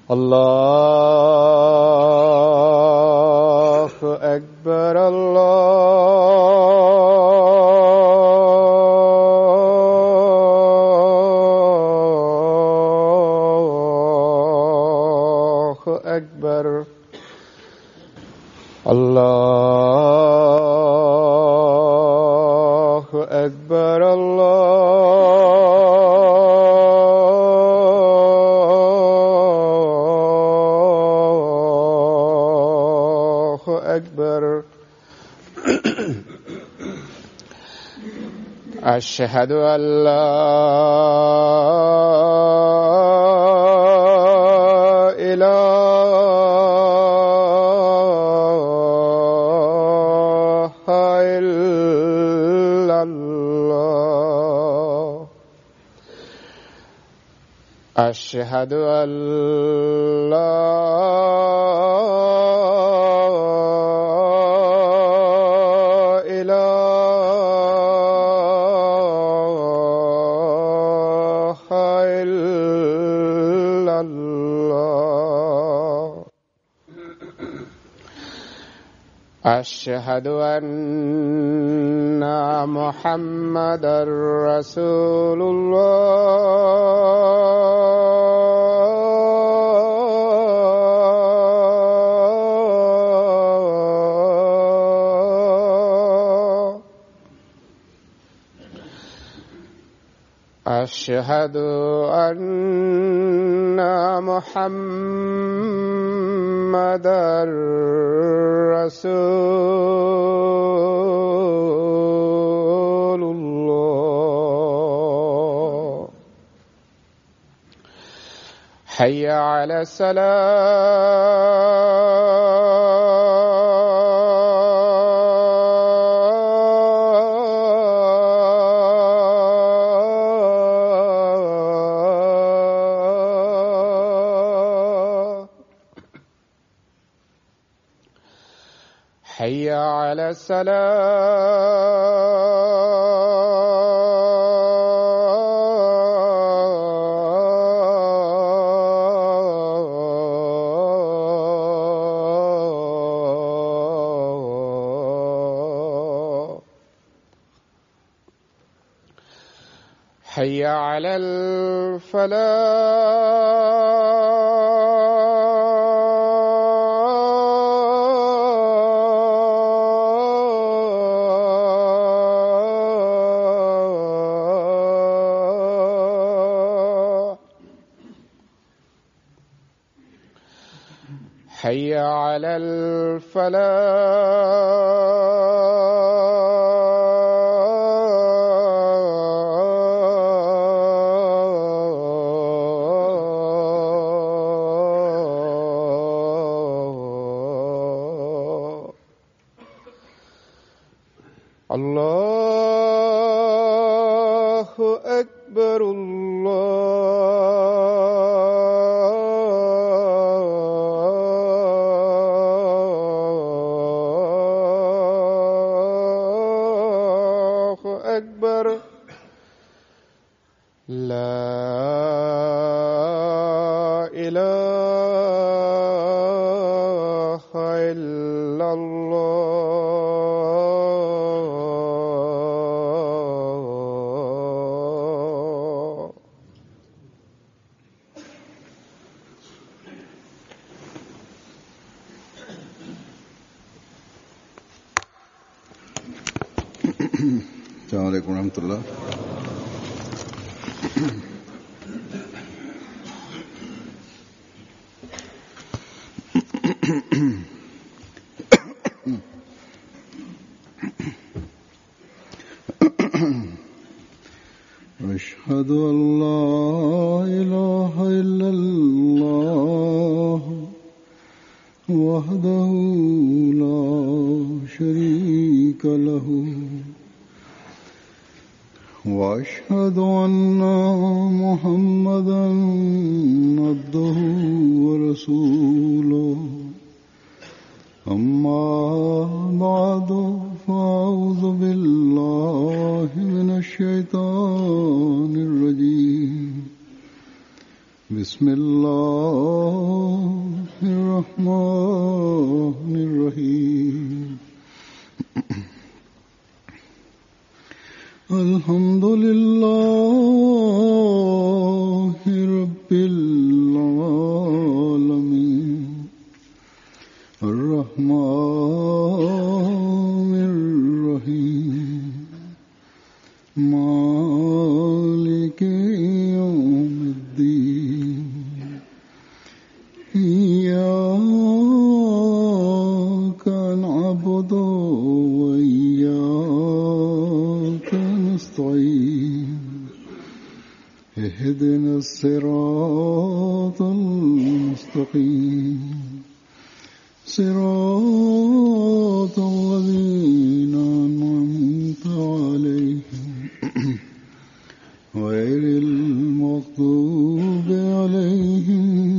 الله أكبر الله أكبر الله أكبر الله أكبر أشهد أن لا إله إلا الله أشهد أن لا إله إلا الله أشهد أن محمدا رسول الله أشهد أن محمدا رسول الله حي على السلام حي على السلام حي على الفلاح حي على الفلاح الله أكبر الله أكبر لا إله إلا الله السلام عليكم ورحمة الله. أشهد أن لا إله إلا الله وحده لا شريك له وأشهد أن محمدا عبده ورسوله. أما بعد فأعوذ بالله من الشيطان الرجيم. بسم الله الرحيم مالك يوم الدين إياك نعبد وإياك نستعين اهدنا الصراط المستقيم صراط الذين أنعمت عليهم غير المغضوب عليهم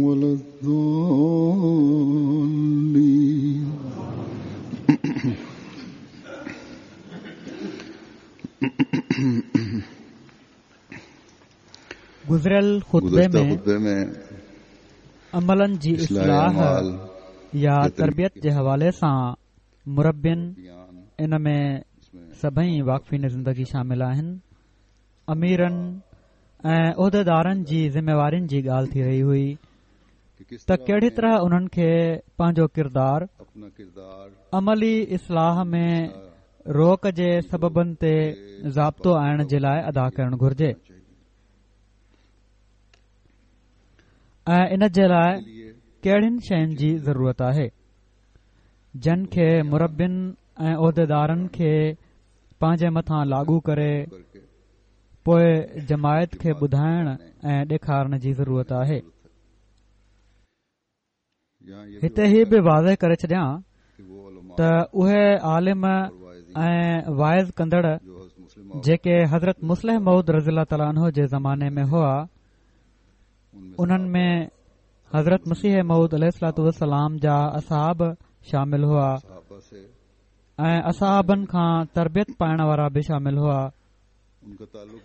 ولا الضالين. گذريل خطبي گذشته ۾ خطبي ۾ عملن جي اصلاح اصلاح اعمال يا جي تربيت جي حوالي سان مربين بيان ان ۾ سڀئي واقفين زندگي شامل آهن اميرن ۽ عهديدارن جي ذميوارين جي ڳالهه ٿي رهي هئي ڪه ڪس ته طرح ڪهڙي انهين طرح انهن کي پنهنجو ڪردار اپنا ڪردار عملي اصلاح ۾ روڪ جي سببن تي ضابطو آڻڻ جي لاء ادا ڪرڻ گهرجي ۽ ان جي لاء ڪهڙين شين جي ضرورت آهي جن کي مربين ۽ عهديدارن کي پنهنجي مٿان لاڳو ڪري پوء جماعت کي ٻڌائڻ ۽ ڏيکارڻ جي ضرورت آهي. هتي هي به واضح ڪري ڇڏيان ته اهي عالم ۽ واعظ ڪندڙ جيڪي حضرت مصلح موعود رضي الله تعالٰي عنه جي زماني ۾ هئا انهن ۾ حضرت مسيح موعود عليه الصلوٰة والسلام جا اصحاب شامل هئا ۽ اصحابن کان تربيت پائڻ وارا به شامل هئا.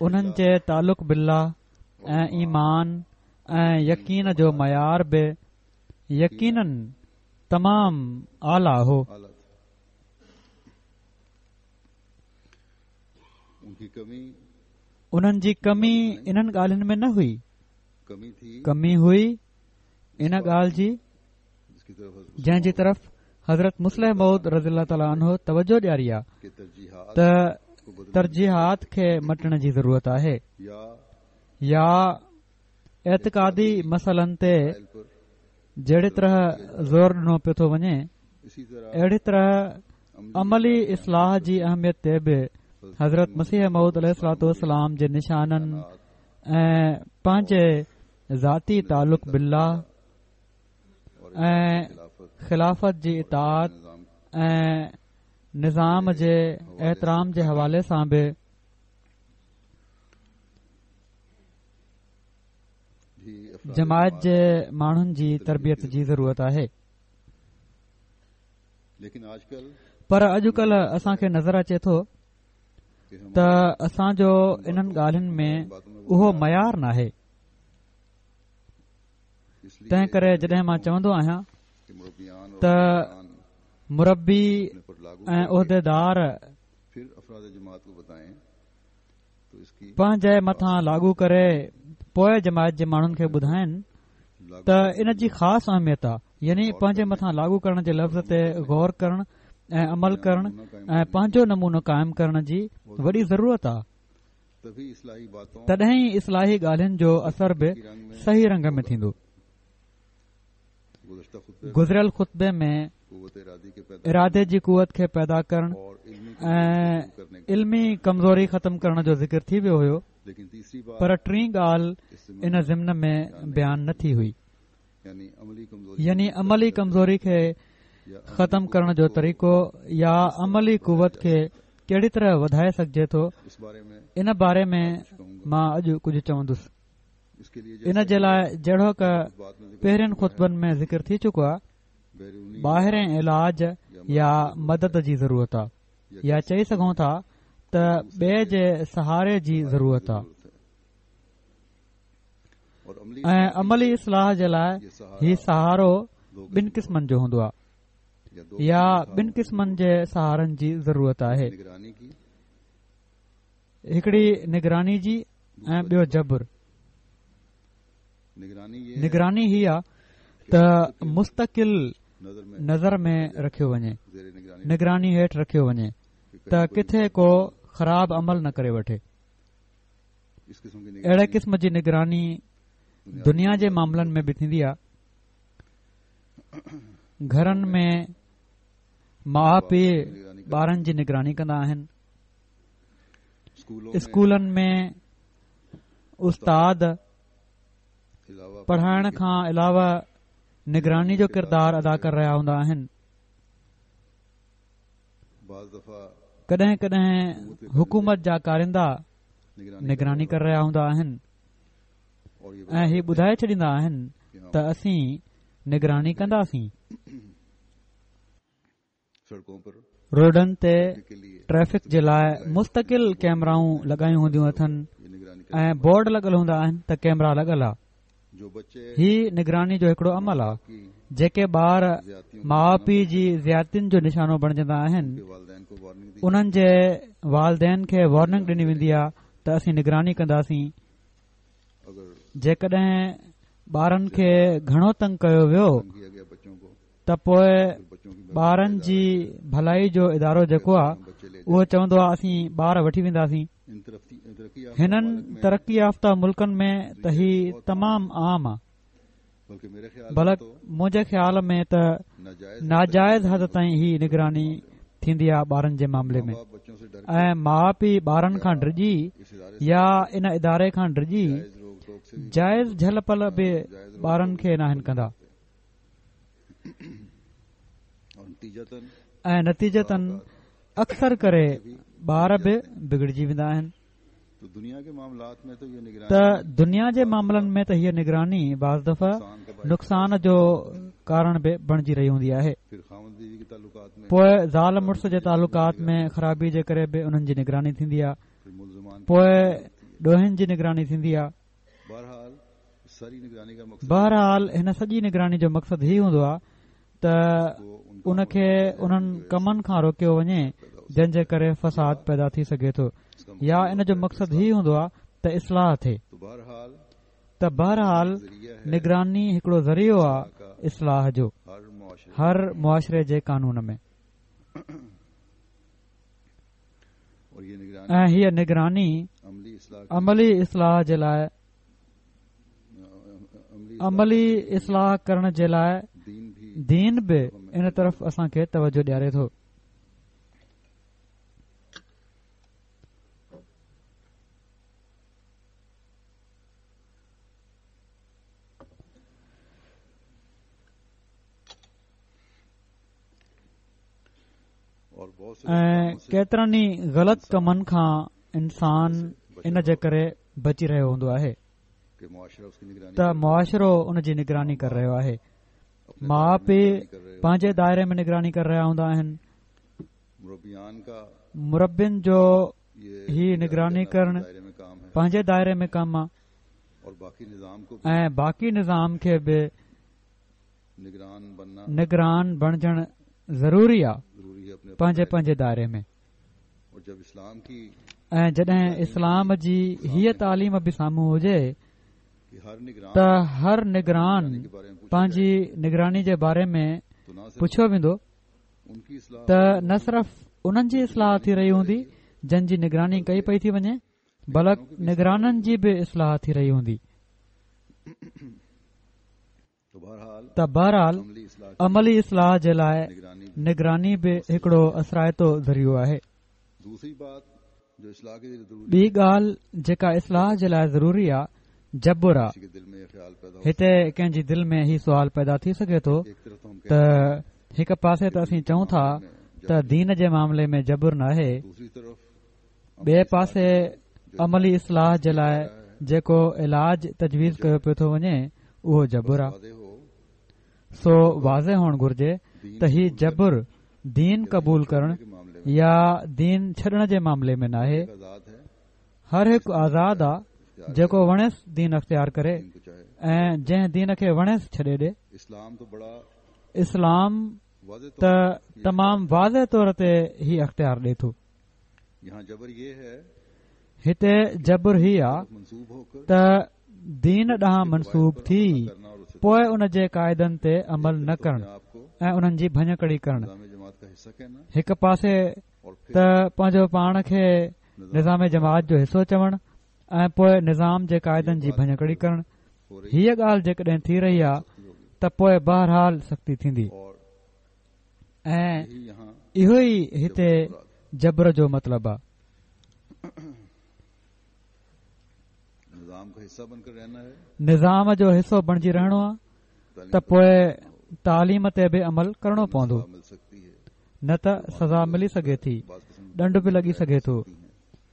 انهن جي تعلق بالله ۽ ايمان ۽ يقين جو معيار به يقيناً تمام اعليٰ هو. انهن جي ڪمي انهن ڳالهين ۾ نه هئي، ڪمي هئي ان ڳالهه جي جنهن جي طرف حضرت مصلح موعود رضي الله تعالٰي عنه توجه ڏياري آ ته ترجيحات کي مٽڻ جي ضرورت آهي يا اعتقادي مسئلن تي جهڙي طرح زور ڏنو پيو ٿو وڃي اهڙي طرح عملي اصلاح جي اهميت تي به حضرت مسيح موعود عليه الصلوٰة والسلام جي نشانن ۽ پنهنجي ذاتي تعلق بالله ۽ خلافت جي اطاعت ۽ نظام جي احترام جي حوالي سان به جماعت جي ماڻهن جي تربيت جي ضرورت آهي. پر اڄڪلهه اسان کي نظر اچي ٿو ته اسان جو انهن ڳالهين ۾ اهو معيار ناهي. تنهن ڪري جڏهن مان چوندو آهيان ته مربي ۽ عهديدار پنهنجي مٿان لاڳو ڪري پوء جماعت جي ماڻهن کي ٻڌائين ته ان جي خاص اهميت آهي يعني پنهنجي مٿان لاڳو ڪرڻ جي لفظ تي غور ڪرڻ ۽ عمل ڪرڻ ۽ پنهنجو نمونو قائم ڪرڻ جي وڏي ضرورت آهي تڏهن ئي اصلاحي ڳالهين جو اثر به صحيح رنگ ۾ ٿيندو. گذريل خطبي ۾ ارادي جي قوت کي پيدا ڪرڻ ۽ علمي ڪمزوري ختم ڪرڻ جو ذڪر ٿي ويو هيو پر ٽين ڳالهه ان ضمن ۾ بيان نه ٿي هئي. يعني عملي ڪمزوري کي ختم ڪرڻ جو طريقو يا عملي قوت کي ڪهڙي طرح وڌائي سگهجي ٿو ان باري ۾ مان اڄ ڪجهه چوندس ان جي لاء جهڙوڪ پهرين خطبن ۾ ذڪر ٿي چڪو آهي ٻاهرين علاج يا مدد جي ضرورت آهي يا چئي سگهون ٿا ته ٻئي جي سهاري جي ضرورت آهي ۽ عملي اصلاح جي لاء هي سهارو ٻن قسمن جو هوندو آهي يا ٻن قسمن جي سهارن جي ضرورت آهي هڪڙي نگراني جي ۽ ٻيو جبر نگراني هي آ ته مستقل نظر ۾ رکيو وڃي، نگراني هيٺ رکيو وڃي ته ڪٿي ڪو خراب عمل نه ڪري وٺي. اهڙي قسم جي نگراني دنيا جي معاملن ۾ به ٿيندي آهي. گهرن ۾ ماء پيء ٻارن جي نگراني ڪندا آهن. اسڪولن ۾ استاد پڙهائڻ کان علاوه نگراني جو ڪردار ادا ڪري رهيا هوندا آهن. ڪڏهن ڪڏهن حڪومت جا ڪارندا نگراني ڪري رهيا هوندا آهن ۽ هي ٻڌائي ڇڏيندا آهن ته اسين نگراني ڪنداسين. روڊن تي ٽريفڪ جي لاء مستقل ڪيمرائون لڳايون هونديون اٿن ۽ بورڊ لڳل هوندا آهن ته ڪيمرا لڳل آ. هي نگراني جو هڪڙو عمل آ. جيڪي ٻار ماء پيء جي زيادتين جو نشانو بڻجندا آهن انهن جي والدين کي وارننگ ڏني ويندي آ ته اسين نگراني ڪنداسين. جيڪڏهن ٻارن کي گهڻو تنگ ڪيو ويو ته پوء ٻارن جي ڀلائي جو ادارو جيڪو آهي اهو چوندو آهي اسين ٻار وٺي وينداسين. هنن ترقي يافته ملڪن ۾ ته هي تمام عام آهي. بلڪ منهنجي خيال ۾ ته ناجائز حد تائين هي نگراني ٿيندي آهي ٻارن جي معاملي ۾ ۽ ماء پيء ٻارن کان ڊڄي يا ان اداري کان ڊڄي جائز جهل پل به ٻارن کي ناهن ڪندا ۽ نتيجتن اڪثر ڪري ٻار به بگڙجي ويندا آهن. ته دنيا جي معاملن ۾ ته هيء نگراني بعض دفعا نقصان جو ڪارڻ به بڻجي رهي هوندي آهي. پوء زال مڙس جي تعلقات ۾ خرابي جي ڪري به انهن جي نگراني ٿيندي آهي. پوء ڏوهين جي نگراني ٿيندي آهي. بهرحال هن سڄي نگراني جو مقصد هي هوندو آهي ته ان کي انهن ڪمن کان روڪيو وڃي جن جي ڪري فساد پيدا ٿي سگهي ٿو يا ان جو مقصد هي هوندو آهي ته اصلاح ٿئي ته بهرحال نگراني هڪڙو ذريعو آهي اصلاح جو هر معاشري جي قانون ۾. ۽ هيء نگراني عملي اصلاح جي لاء عملي اصلاح ڪرڻ جي لاء دين به ان طرف اسان کي توجه ڏياري ٿو. ۽ ڪيترن ئي غلط ڪمن کان انسان ان جي ڪري بچي رهيو هوندو آهي ته معاشرو ان جي نگراني ڪري رهيو آهي ماء پيء پنهنجي دائري ۾ نگراني ڪري رهيا هوندا آهن مربين جو هي نگراني ڪرڻ پنهنجي دائري ۾ ڪم آهي ۽ باقي نظام کي به نگران بڻجڻ ضروري آ پنهنجي پنهنجي دائري ۾. ۽ جڏهن اسلام جي هيء تعليم به سامهون هجي ته هر نگران پنهنجي نگراني جي باري ۾ پڇيو ويندو ته نه صرف انهن جي اصلاح ٿي رهي هوندي جن جي نگراني ڪئي پئي ٿي وڃي بلڪ نگرانن جي به اصلاح ٿي رهي هوندي. ته بهرحال عملي اصلاح جي لاء نگراني به هڪڙو اثرائتو ذريعو آهي. ٻي ڳالهه جيڪا اصلاح جي لاء ضروري آ جبر آ. هتي ڪنهن جي دل ۾ هي سوال پيدا ٿي سگهي ٿو ته هڪ پاسي ته اسين چئون ٿا ته دين جي معاملي ۾ جبر ناهي، ٻئي پاسي عملي اصلاح جي لاء جيڪو علاج تجويز ڪيو پيو ٿو وڃي اهو جبر آ. سو واضح هئڻ گهرجي ته هي جبر دين قبول ڪرڻ يا دين ڇڏڻ جي معاملي ۾ ناهي. هر هڪ آزاد آ جيڪو وڻيس دين اختيار ڪري ۽ جنهن دين کي وڻيس ڇڏي ڏي. اسلام ته تمام واضح طور تي هي اختيار ڏي ٿو. هتي جبر هي آ ته دين ڏانهن منسوب ٿي پوء ان جي قاعدن تي عمل نه ڪرڻ ۽ انهن جي ڀڃڪڙي ڪرڻ. هڪ پاسي ته پنهنجو پاڻ کي نظام جماعت جو حصو چوڻ ۽ پوء نظام جي قاعدن جي ڀڃڪڙي ڪرڻ. هيء ڳالهه جيڪڏهن ٿي رهي آ ته پوء بهرحال سختي ٿيندي ۽ اهو ئي هتي جبر جو مطلب آ. نظام جو حصو بڻجي رهڻو آ ته پوء تعليم تي به عمل ڪرڻو پوندو نه ته سزا ملي سگهي ٿي ڏنڊ به لڳي سگهي ٿو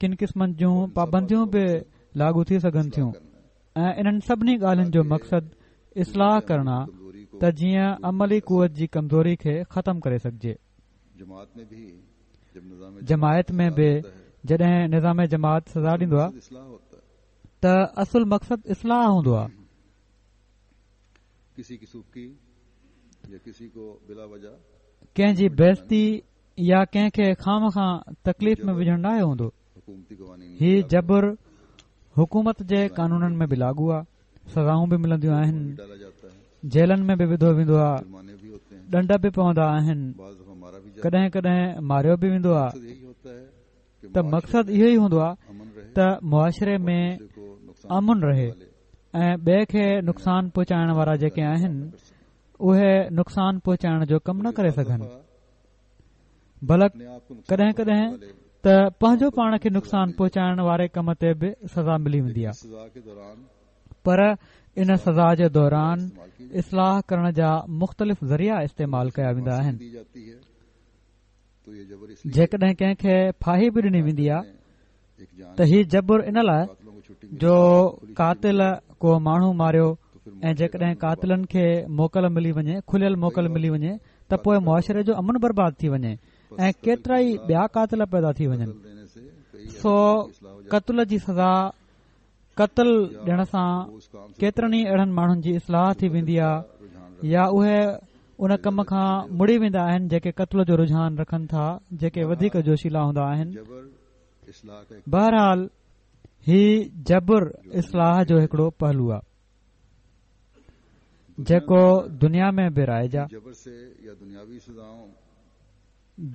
ڪن قسمن جون پابنديون به لاڳو ٿي سگهن ٿيون ۽ انهن سڀني ڳالهين جو مقصد اصلاح ڪرڻ آ ته جيئن عملي قوت جي ڪمزوري کي ختم ڪري سگهجي. جماعت ۾ به جڏهن نظام جماعت سزا ڏيندو آ ته اصل مقصد اصلاح هوندو آ. ڪنهن جي بيعزتي يا ڪنهن کي خوامخواه تڪليف ۾ وجهڻ ناهي هوندو. هي جبر حڪومت جي قانونن ۾ به لاڳو آ، سزائون به ملنديون آهن، جيلن ۾ به وڌو ويندو آ، ڏنڊ به پوندا آهن، ڪڏهن ڪڏهن ماريو به ويندو آ ته مقصد اهو ئي هوندو آ ته معاشري ۾ امن رهي ۽ ٻئي کي نقصان پهچائڻ وارا جيڪي آهن اهي نقصان پهچائڻ جو ڪم نه ڪري سگهن. بلڪ ڪڏهن ڪڏهن ته پنهنجو پاڻ کي نقصان پهچائڻ واري ڪم تي به سزا ملي ويندي آهي پر ان سزا جي دوران اصلاح ڪرڻ جا مختلف ذريعا استعمال ڪيا ويندا آهن جيڪڏهن ڪنهن کي ڦاهي به ڏني ويندي آهي ته هي جبر ان لاء جو قاتل ڪو ماڻهو ماريو ۽ جيڪڏهن قاتلن کي موڪل ملي وڃي کليل موڪل ملي وڃي ته پوء معاشري جو امن برباد ٿي وڃي ۽ ڪيترائي ٻيا قاتل پيدا ٿي وڃن سو قتل جي سزا قتل ڏيڻ سان ڪيترن ئي اهڙن ماڻهن جي اصلاح ٿي ويندي آهي يا اهي ان ڪم کان مڙي ويندا آهن جيڪي قتل جو رجحان رکن ٿا جيڪي وڌيڪ جوشيلا هوندا آهن بهرحال هي جبر اصلاح جو هڪڙو پهلو آهي جيڪو دنيا ۾ به رائج آهي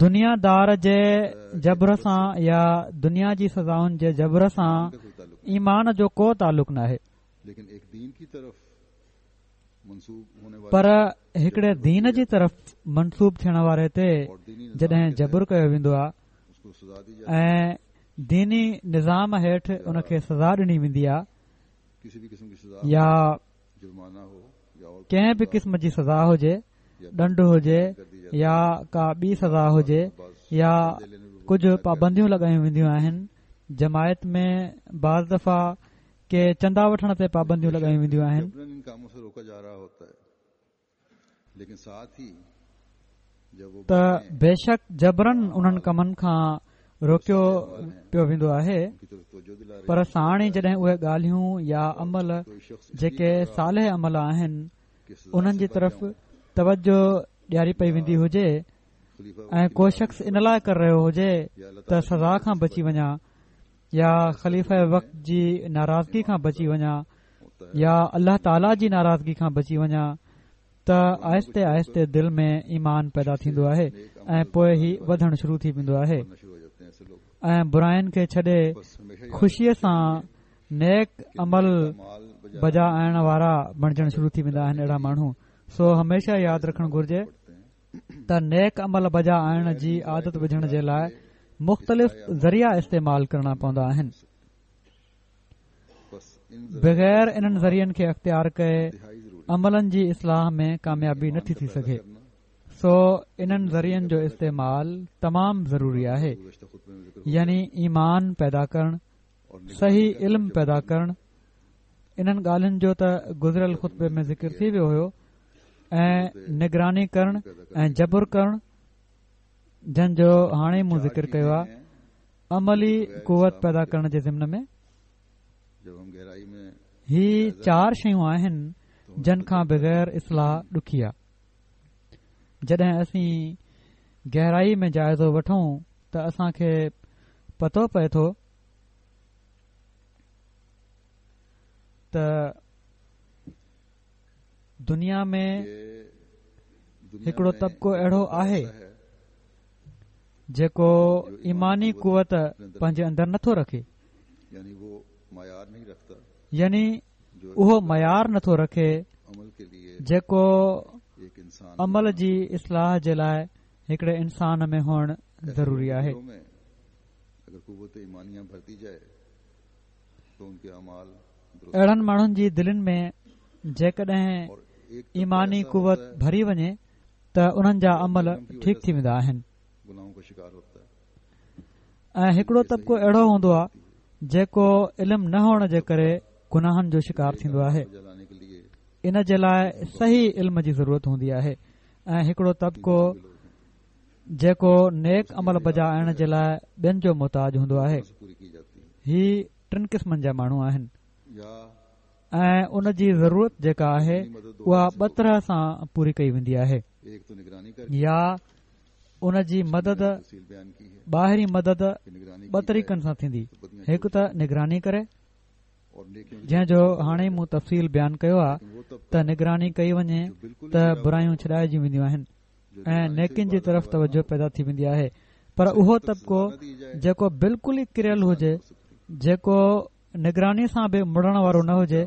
دنيا دار جي جبر سان يا دنيا جي سزائن جي جبر سان ايمان جو ڪو تعلق ناهي پر هڪڙي دين جي طرف منسوب ٿيڻ واري تي جڏهن جبر ڪيو ويندو آهي ۽ ديني نظام هيٺ ان کي سزا ڏني ويندي آهي يا ڪنهن به قسم جي سزا هجي، ڏنڊ هجي يا ڪا ٻي سزا هجي يا ڪجهه پابنديون لڳايون وينديون آهن، جماعت ۾ بعض دفعا ڪي چندا وٺڻ تي پابنديون لڳايون وينديون آهن. ته بيشڪ جبراً انهن ڪمن کان روڪيو پيو ويندو آهي پر ساڻ ئي جڏهن اهي ڳالهيون يا عمل جيڪي صالح عمل آهن انهن جي طرف توجه ڏياري پئي ويندي هجي ۽ ڪو شخص ان لاء ڪري رهيو هجي ته سزا کان بچي وڃان يا خليفه وقت جي ناراضگي کان بچي وڃان يا الله تعاليٰ جي ناراضگي کان بچي وڃان ته آهستي آهستي دل ۾ ايمان پيدا ٿيندو آهي ۽ پوء هي وڌڻ شروع ٿي ويندو آهي ۽ براين کي ڇڏي خوشيء سان نيڪ عمل بجا آڻڻ وارا بڻجڻ شروع ٿي ويندا آهن اهڙا ماڻهو سو هميشه ياد رکڻ گهرجي ته نيڪ عمل بجا آڻڻ جي عادت وجهڻ جي لاء مختلف ذريعا استعمال ڪرڻا پوندا آهن بغير انهن ذريعن کي اختيار ڪئي عملن جي اصلاح ۾ ڪاميابي نٿي ٿي سگهي سو انهن ذريعن جو استعمال تمام ضروري آهي يعني ايمان پيدا ڪرڻ صحيح علم پيدا ڪرڻ انهن ڳالهين جو ته گذريل خطبي ۾ ذڪر ٿي ويو هيو ۽ نگراني ڪرڻ ۽ جبر ڪرڻ جن جو هاڻي مون ذڪر ڪيو آهي عملي قوت پيدا ڪرڻ جي ضمن ۾ هي چار شيون آهن جن کان بغير اصلاح ڏکي آ. جڏهن اسين گهرائي ۾ جائزو وٺون ته اسان کي پتو پئي ٿو ته دنيا ۾ هڪڙو طبقو اهڙو آهي جيڪو ايماني قوت پنهنجي اندر نٿو رکي، يعني اهو معيار نٿو رکي جيڪو عمل جي اصلاح جي لاء هڪڙي انسان ۾ هئڻ ضروري آهي. اهڙن ماڻهن جي دلين ۾ جيڪڏهن ايماني قوت ڀري وڃي ته انهن جا عمل ٺيڪ ٿي ويندا آهن ۽ هڪڙو طبقو اهڙو هوندو آهي جيڪو علم نه هئڻ جي ڪري گناهن جو شڪار ٿيندو آهي. ان جي لاء صحيح علم جي ضرورت هوندي آهي ۽ هڪڙو طبقو جيڪو نيڪ عمل بجا آڻڻ جي لاء ٻين جو محتاج هوندو آهي. هي ٽن قسمن جا ماڻهو آهن ۽ ان جي ضرورت جيڪا آهي اها ٻه طرح سان پوري ڪئي ويندي آهي يا ان جي مدد ٻاهرين مدد ٻه طريقن سان ٿيندي هڪ ته نگراني ڪري جنهن جو هاڻي مون تفصيل بيان ڪيو آهي ته نگراني ڪئي وڃي ته برايون ڇڏائجي وينديون آهن ۽ نيڪين جي طرف توجه پيدا ٿي ويندي آهي پر اهو طبقو جيڪو بلڪل ئي ڪريل هجي جيڪو نگراني سان به مڙڻ وارو نه هجي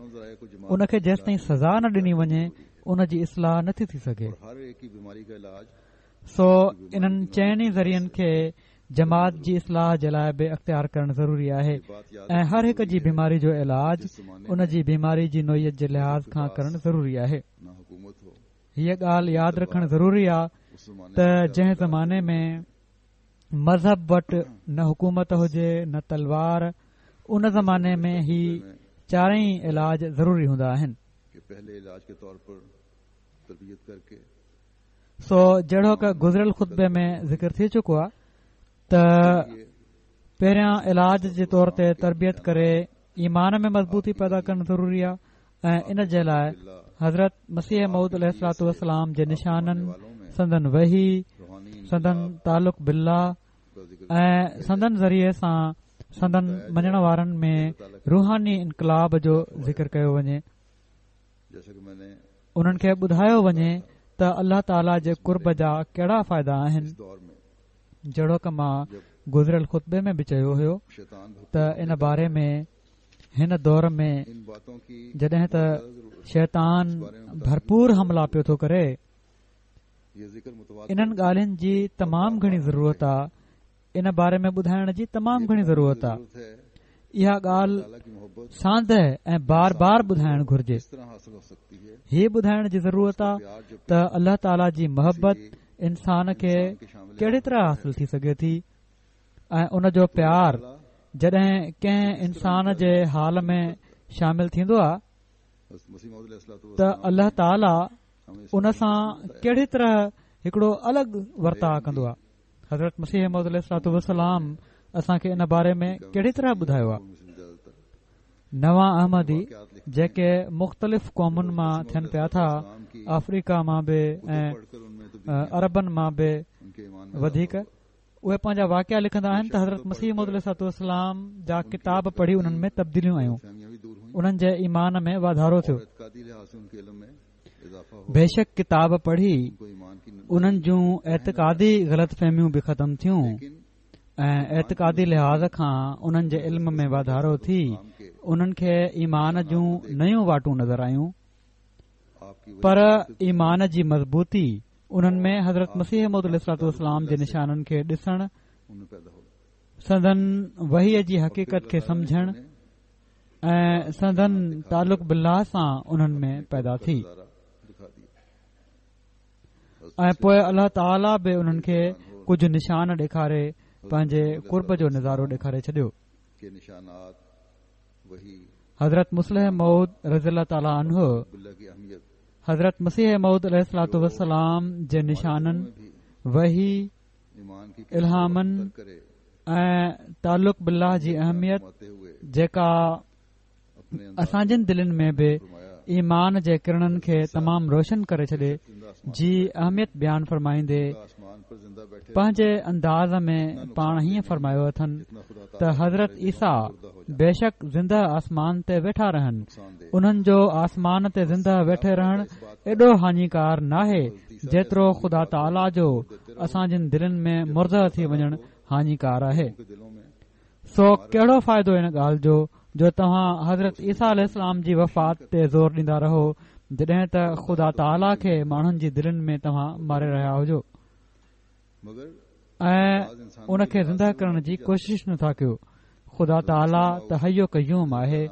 ان کي جيستائين سزا نه ڏني وڃي ان جي اصلاح نٿي ٿي سگهي سو انهن چئن ئي ذريعن کي جماعت جي اصلاح جي لاء به اختيار ڪرڻ ضروري آهي ۽ هر هڪ جي بيماري جو علاج ان جي بيماري جي نوعيت جي لحاظ کان ڪرڻ ضروري آهي. هيء ڳالهه ياد رکڻ ضروري آ ته جنهن زماني ۾ مذهب وٽ نه حڪومت هجي نه تلوار ان زماني ۾ هي چارئي علاج ضروري هوندا آهن. سو جهڙوڪ گذريل خطبي ۾ ذڪر ٿي چڪو آ ته پهريان علاج جي طور تي تربيت ڪري ايمان ۾ مضبوطي پيدا ڪرڻ ضروري آ ۽ ان جي لاء حضرت مسيح موعود عليه الصلوة والسلام جي نشانن، سندن وحي، سندن تعلق بالله ۽ سندن ذريعي سان سندن مڃڻ وارن ۾ روحاني انقلاب جو ذڪر ڪيو وڃي. انهن کي ٻڌايو وڃي ته الله تعاليٰ جي قرب جا ڪهڙا فائدا آهن. جهڙوڪ مان گذريل خطبي ۾ به چيو هيو ته ان باري ۾ هن دور ۾ جڏهن ته شيطان ڀرپور حملا پيو ٿو ڪري انهن ڳالهين جي تمام گهڻي ضرورت آ ان باري ۾ ٻڌائڻ جي تمام گهڻي ضرورت آ اها ڳالهه سانده ۽ بار بار ٻڌائڻ گهرجي هي ٻڌائڻ جي ضرورت آ ته الله تعالي جي محبت انسان کي ڪهڙي طرح حاصل ٿي سگهي ٿي ۽ ان جو پيار جڏهن ڪنهن انسان جي حال ۾ شامل ٿيندو آهي ته الله تعالي ان سان ڪهڙي طرح هڪڙو الڳ ورتاء ڪندو آهي حضرت مسيح موعود عليه الصلوة والسلام اسان کي ان باري ۾ ڪهڙي طرح ٻڌايو آهي نوان احمدي جيڪي مختلف قومن مان ٿين پيا ٿا آفريڪا مان به ۽ عربن مان به وڌيڪ اهي پنهنجا واقعا لکندا آهن ته حضرت مسيح موعود عليه الصلوة والسلام جا ڪتاب پڙهي انهن ۾ تبديليون آيون انهن جي ايمان ۾ واڌارو ٿيو بيشڪ ڪتاب پڙهي انهن جون اعتقادي غلط فهميون به ختم ٿيون ۽ اعتقادي لحاظ کان انهن جي علم ۾ واڌارو ٿي انهن کي ايمان جون نيون واٽون نظر آيون پر ايمان جي مضبوطي انهن ۾ حضرت مسيح موعود عليه الصلوة والسلام جي نشانن کي ڏسڻ، سندن وحي جي حقيقت کي سمجهڻ ۽ سندن تعلق بالله سان انهن ۾ پيدا ٿي ۽ پوء الله تعاليٰ به انهن کي ڪجهه نشان ڏيکاري پنهنجي قرب جو نظارو ڏيکاري ڇڏيو. حضرت مصلح موعود رضي الله تعالٰي عنه حضرت مسيح موعود عليه الصلوة والسلام جي نشانن، وحي، الهامن ۽ تعلق بالله جي اهميت جيڪا اسان جن دلين ۾ به ايمان جي ڪرڻن کي تمام روشن ڪري ڇڏي جي اهميت بيان فرمائيندي پنهنجي انداز ۾ پاڻ هيئن فرمايو اٿن ته حضرت عيسيٰ بيشڪ زنده آسمان تي ويٺا رهن انهن جو آسمان تي زنده ويٺي رهڻ ايڏو هاڃيڪار ناهي جيترو خدا تعاليٰ جو اسان جن دلين ۾ مرده ٿي وڃڻ هاڃيڪار آهي. سو ڪهڙو فائدو ان ڳالهه جو جو توهان حضرت عيسيٰ عليه السلام جي وفات تي زور ڏيندا رهو جڏهن ته خدا تعاليٰ کي ماڻهن جي دلين ۾ توهان ماري رهيا هجو ۽ ان کي زنده ڪرڻ جي ڪوشش نٿا ڪيو. خدا تعاليٰ ته حي و قيوم آهي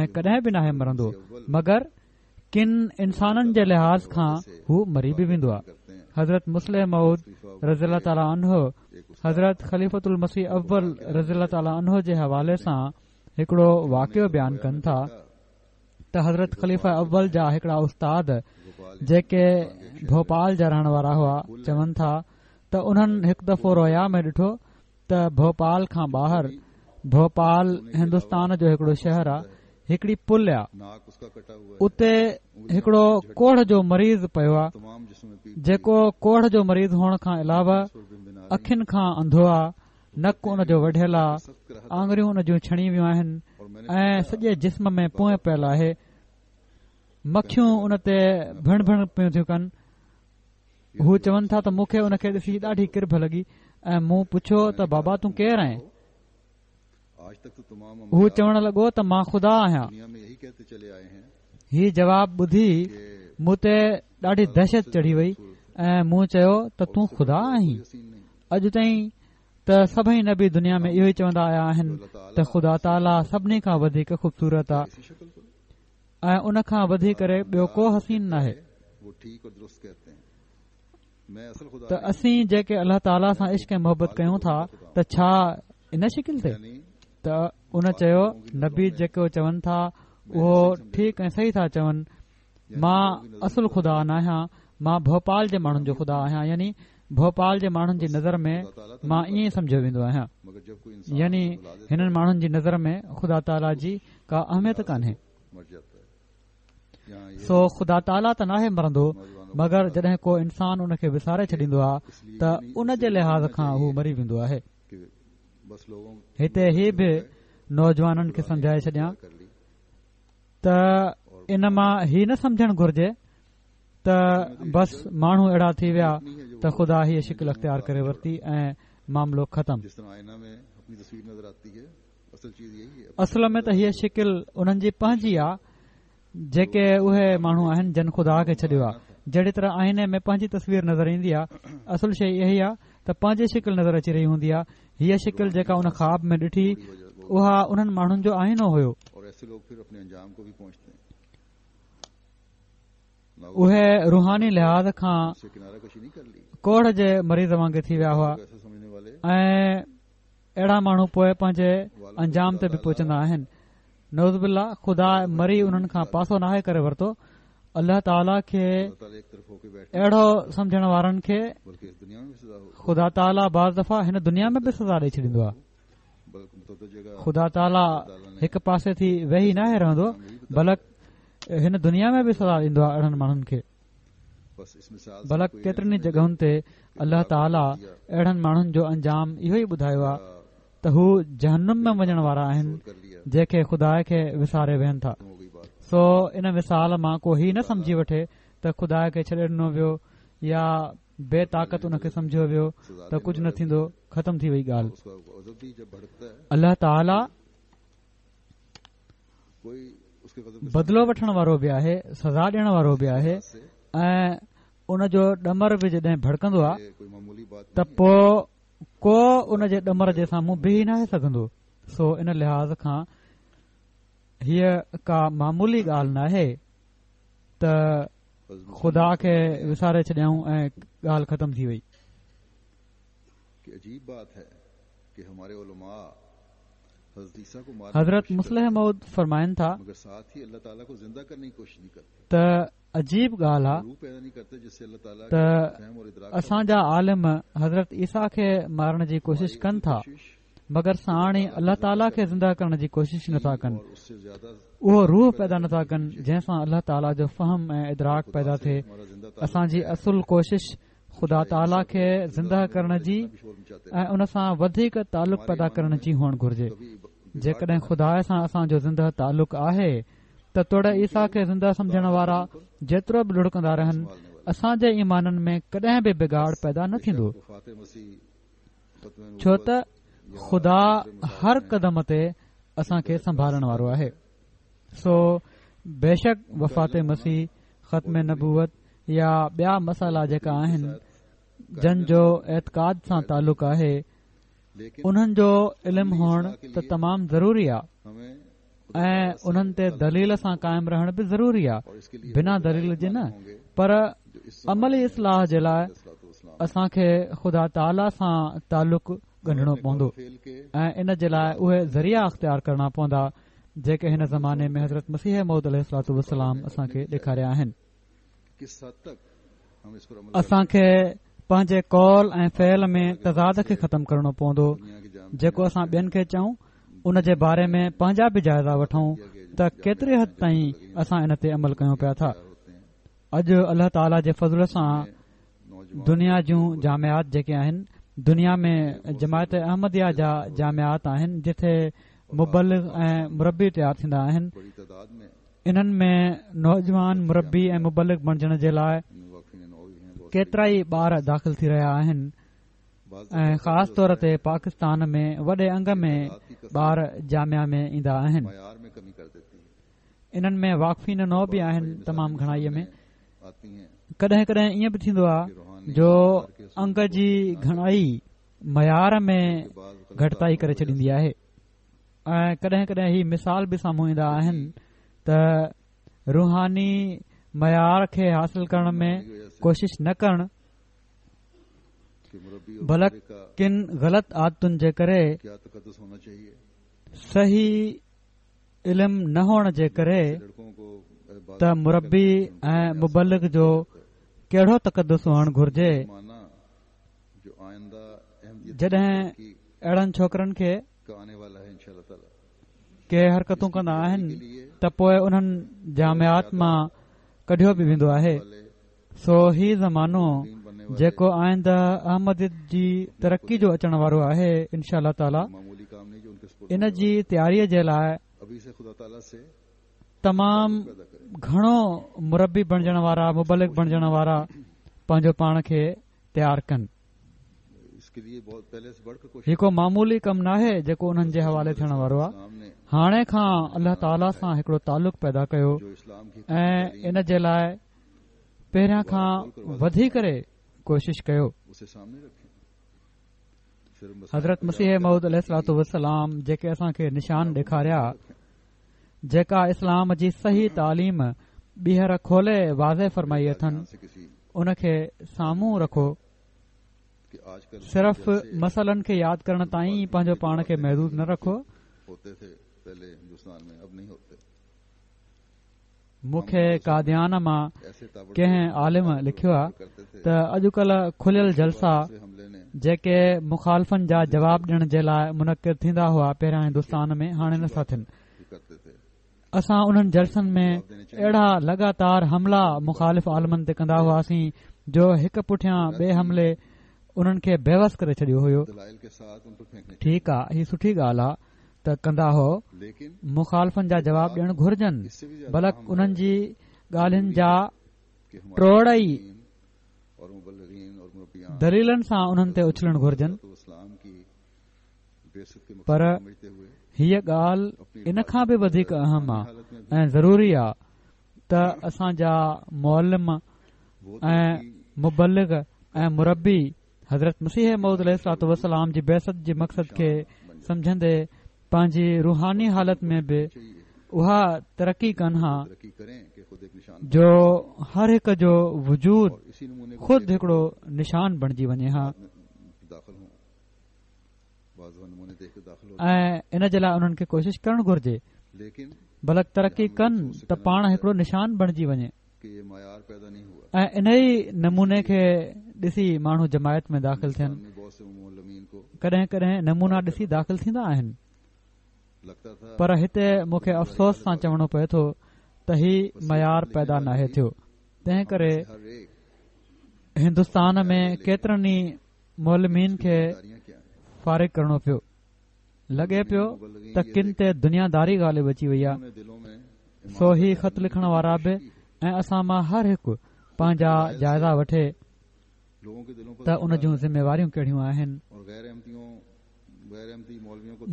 ۽ ڪڏهن به ناهي مرندو مگر ڪن انسانن جي لحاظ کان هو مري به ويندو آهي. حضرت مصلح موعود رضي الله تعالٰي عنه حضرت خليفة المسيح اول رضي الله تعالٰي عنه جي حوالي سان هڪڙو واقعو بيان ڪن ٿا ته حضرت خليفه اول جا هڪڙا استاد جيڪي ڀوپال جا رهڻ وارا هئا چون ٿا ته انهن هڪ دفعو رويا ۾ ڏٺو ته ڀوپال کان ٻاهر، ڀوپال هندستان جو هڪڙو شهر آ، هڪڙي پل آ، اتي هڪڙو ڪوڙهه جو مريض پيو آ، جيڪو ڪوڙهه جو مريض هئڻ کان علاوه اکين کان انڌو آ، نڪ ان جو وڍيل آ، آڱريون ان جون ڇڻي ويون آهن ۽ سڄي جسم ۾ پونء پيل آهي، مکيون ان تي ڀڻ ڀڻ پيون ٿيون ڪن. هو چون ٿا ته مون کي ان کي ڏسي ڏاڍي ڪرڀ لڳي ۽ مون پڇيو ته بابا تون ڪير آهين؟ هو چوڻ لڳو ته مان خدا آهيان. هي جواب ٻڌي مون تي ڏاڍي دهشت چڙهي وئي ۽ مون چيو ته تون خدا آهين؟ اڄ تائين ته سڀئي نبي دنيا ۾ اهو ئي چوندا آيا آهن ته خدا تعاليٰ سڀني کان وڌيڪ خوبصورت آهي. ۽ ان کان وڌي ڪري ٻيو ڪو حسين ناهي ته اسين جيڪي الله تعاليٰ سان عشق ۽ محبت ڪيون ٿا ته ڇا ان شڪل تي ته ان چيو نبي جيڪو چون ٿا اهو ٺيڪ ۽ صحيح ٿا چون مان اصل خدا ناهيان مان ڀوپال جي ماڻهن جو خدا آهيان يعني ڀوپال جي ماڻهن جي نظر ۾ مان ائين سمجهيو ويندو آهيان يعني هنن ماڻهن جي نظر ۾ خدا تعاليٰ جي ڪا اهميت ڪانهي سو خدا تعاليٰ ته ناهي مرندو مگر جڏهن ڪو انسان ان کي وساري ڇڏيندو آهي ته ان جي لحاظ کان هو مري ويندو آهي هتي هي به نوجوانن کي سمجهائي ڇڏيان ته ان مان هي نه سمجهڻ گهرجي ته بس ماڻهو اهڙا ٿي ويا ته خدا هيء شڪل اختيار ڪري ورتي ۽ معاملو ختم اصل ۾ ته هيء شڪل انهن جي پنهنجي آ جيڪي اهي ماڻهو آهن جن خدا کي ڇڏيو آ جهڙي طرح آئيني ۾ پنهنجي تصوير نظر ايندي آ اصل شيء اها ئي آ ته پنهنجي شڪل نظر اچي رهي هوندي آ هيء شڪل جيڪا ان خواب ۾ ڏٺي اها انهن ماڻهن جو آئينو هيو اهي روحاني لحاظ کان ڪوڙهه جي مريض وانگي ٿي ويا هئا ۽ اهڙا ماڻهو پوء پنهنجي انجام تي به پهچندا آهن نعوذ بالله خدا مري انهن کان پاسو ناهي ڪري ورتو الله تعالي کي اهڙو سمجهڻ وارن کي خدا تعالي بعض دفعا هن دنيا ۾ به سزا ڏئي ڇڏيندو آهي خدا تعالي هڪ پاسي ٿي ويهي ناهي رهندو بلڪ هن دنيا ۾ به سزا ڏيندو آهي اهڙن ماڻهن کي بلڪ ڪيترين ئي جڳهن تي الله تعالي اهڙن ماڻهن جو انجام اهو ئي ٻڌايو آهي ته هو جهنم ۾ وڃڻ وارا آهن جيڪي خدا کي وساري ويهن ٿا سو ان مثال مان ڪو هي نه سمجهي وٺي ته خدا کي ڇڏي ڏنو ويو يا بي طاقت ان کي سمجهيو ويو ته ڪجهه نه ٿيندو ختم ٿي وئي ڳالهه الله تعالي بدلو وٺڻ وارو به آهي سزا ڏيڻ وارو به آهي ۽ ان جو ڏمر به جڏهن ڀڙڪندو آهي ته پوء ڪو ان جي ڏمر جي سامهون بيهي ناهي سگهندو سو ان لحاظ کان هيء ڪا معمولي ڳالهه ناهي ته خدا کي وساري ڇڏيائون ۽ ڳالهه ختم ٿي وئي حضرت مصلح موعود فرمائن ٿا ته عجيب ڳالهه آ ته اسان جا عالم حضرت عيسيٰ کي مارڻ جي ڪوشش ڪن ٿا مگر ساڻ ئي الله تعاليٰ کي زنده ڪرڻ جي ڪوشش نٿا ڪن اهو روح پيدا نٿا ڪن جنهن سان الله تعاليٰ جو فهم ۽ ادراڪ پيدا ٿئي اسان جي اصل ڪوشش خدا تعاليٰ کي زنده ڪرڻ جي ۽ ان سان وڌيڪ تعلق پيدا ڪرڻ جي هئڻ گهرجي. جيڪڏهن خدا سان اسان جو زنده تعلق آهي ته. ته توڙي عيسيٰ کي زنده سمجهڻ وارا جيترو به لڙ ڪندا رهن، اسان جي ايمانن ۾ ڪڏهن به بگاڙ پيدا نه ٿيندو، ڇو ته خدا هر قدم تي اسان کي سنڀالڻ وارو آهي. سو بيشڪ وفات مسيح، ختم نبوت يا ٻيا مسئلا جيڪا آهن، جن جو اعتقاد سان تعلق آهي، انهن جو علم هئڻ ته تمام ضروري آ ۽ انهن تي دليل سان قائم رهڻ به ضروري آ، بنا دليل جي نه، پر عملي اصلاح جي لاء اسان کي خدا تعاليٰ سان تعلق ڳنڍڻو پوندو ۽ ان جي لاء اهي ذريعا اختيار ڪرڻا پوندا جيڪي هن زماني ۾ حضرت مسيح موعود عليه الصلوة والسلام اسان کي ڏيکاريا آهن. اسان کي پنهنجي قول ۽ فعل ۾ تضاد کي ختم ڪرڻو پوندو جيڪو اسان ٻين کي چئون ان جي باري ۾ پنهنجا به جائزا وٺون ته ڪيتري حد تائين اسان ان تي عمل ڪيون پيا ٿا اڄ الله تعاليٰ جي فضل سان دنيا جون جامعات جيڪي آهن دنيا ۾ جماعت احمديه جا جامعات آهن جتي مبلغ ۽ مربي تيار ٿيندا آهن انهن ۾ نوجوان مربي ۽ مبلغ بڻجڻ جي لاء ڪيترائي ٻار داخل ٿي رهيا آهن ۽ خاص طور تي پاڪستان ۾ وڏي انگ ۾ ٻار جامعه ۾ ايندا آهن. انهن ۾ واقفين نو به آهن تمام گهڻائي ۾ ڪڏهن ڪڏهن ائين به ٿيندو آهي جو انگ جي گهڻائي معيار ۾ گهٽتائي ڪري ڇڏيندي آهي. ۽ ڪڏهن ڪڏهن هي مثال به سامهون ايندا آهن ته روحاني معيار کي حاصل ڪرڻ ۾ ڪوشش نه ڪرڻ بلڪ ڪن غلط عادتن جي ڪري صحيح علم نه هئڻ جي ڪري ته مربي ۽ مبلغ جو ڪهڙو تقدس هئڻ گهرجي جڏهن اهڙن ڇوڪرن کي ڪي حرڪتون ڪندا آهن ته پوء انهن جامعات مان ڪڍيو به ويندو آهي سو هي زمانو جيڪو آئنده احمديت جي ترقي جو اچڻ وارو آهي انشاء الله تعالي ان جي تياري جي لاء تمام گهڻو مربي بڻجڻ وارا مبلغ بڻجڻ وارا پنهنجو پاڻ کي تيار ڪن. هي ڪو معمولي ڪم ناهي جيڪو انهن جي حوالي ٿيڻ وارو آهي. هاڻي کان الله تعاليٰ سان هڪڙو تعلق پيدا ڪيو ۽ ان جي لاء پهريان کان وڌي ڪري ڪوشش ڪيو. حضرت مسيح موعود عليه الصلوة والسلام جيڪي اسان کي نشان ڏيکاريا جيڪا اسلام جي صحيح تعليم ٻيهر کولي واضح فرمائي اٿن ان کي سامهون رکو صرف مسئلن کي ياد ڪرڻ تائين ئي پنهنجو پاڻ کي محدود نه رکو مون کي قاديان مان ڪنهن عالم لکيو آهي ته اڄڪلهه کليل جلسا جيڪي مخالفن جا جواب ڏيڻ جي لاء منعقد ٿيندا هئا پهريان هندستان ۾ هاڻي نٿا ٿين اسان انهن جلسن ۾ اهڙا لڳاتار حملا مخالف عالمن تي ڪندا هئاسين جو هڪ پٺيان ٻئي حملي انهن کي بيوس ڪري ڇڏيو هيو ٺيڪ آ هي سٺي ڳالهه آ ته ڪندا هئو مخالفن جا جواب ڏيڻ گهرجن بلڪ انهن جي ڳالهين جا ٽوڙ ئي دليلن سان انهن تي اڇلڻ گهرجن پر هيء ڳالهه ان کان به وڌيڪ اهم آ ۽ ضروري آ ته اسان جا معلم ۽ مبلغ ۽ مربي حضرت مسيح موعود عليه الصلوة والسلام جي بعثت جي مقصد کي سمجهندي پنهنجي روحاني حالت ۾ به اها ترقي ڪن ها جو هر هڪ جو وجود خود هڪڙو نشان بڻجي وڃي ها ۽ ان جي لاء انهن کي ڪوشش ڪرڻ گهرجي بلڪ ترقي ڪن ته پاڻ هڪڙو نشان بڻجي وڃي ۽ انهي نموني کي ڏسي ماڻهو جماعت ۾ داخل ٿين ڪڏهن ڪڏهن نمونا ڏسي داخل ٿيندا آهن پر هتي مون کي افسوس سان چوڻو پئي ٿو ته هي معيار پيدا ناهي ٿيو تنهن ڪري هندستان ۾ ڪيترن ئي معلمين کي فارغ ڪرڻو پيو. لڳي پيو ته ڪن تي دنيا داري غالب اچي وئي آهي. سو هي خط لکڻ وارا به ۽ اسان مان هر هڪ پنهنجا جائزا وٺي ته ان جون ذميواريون ڪهڙيون آهن.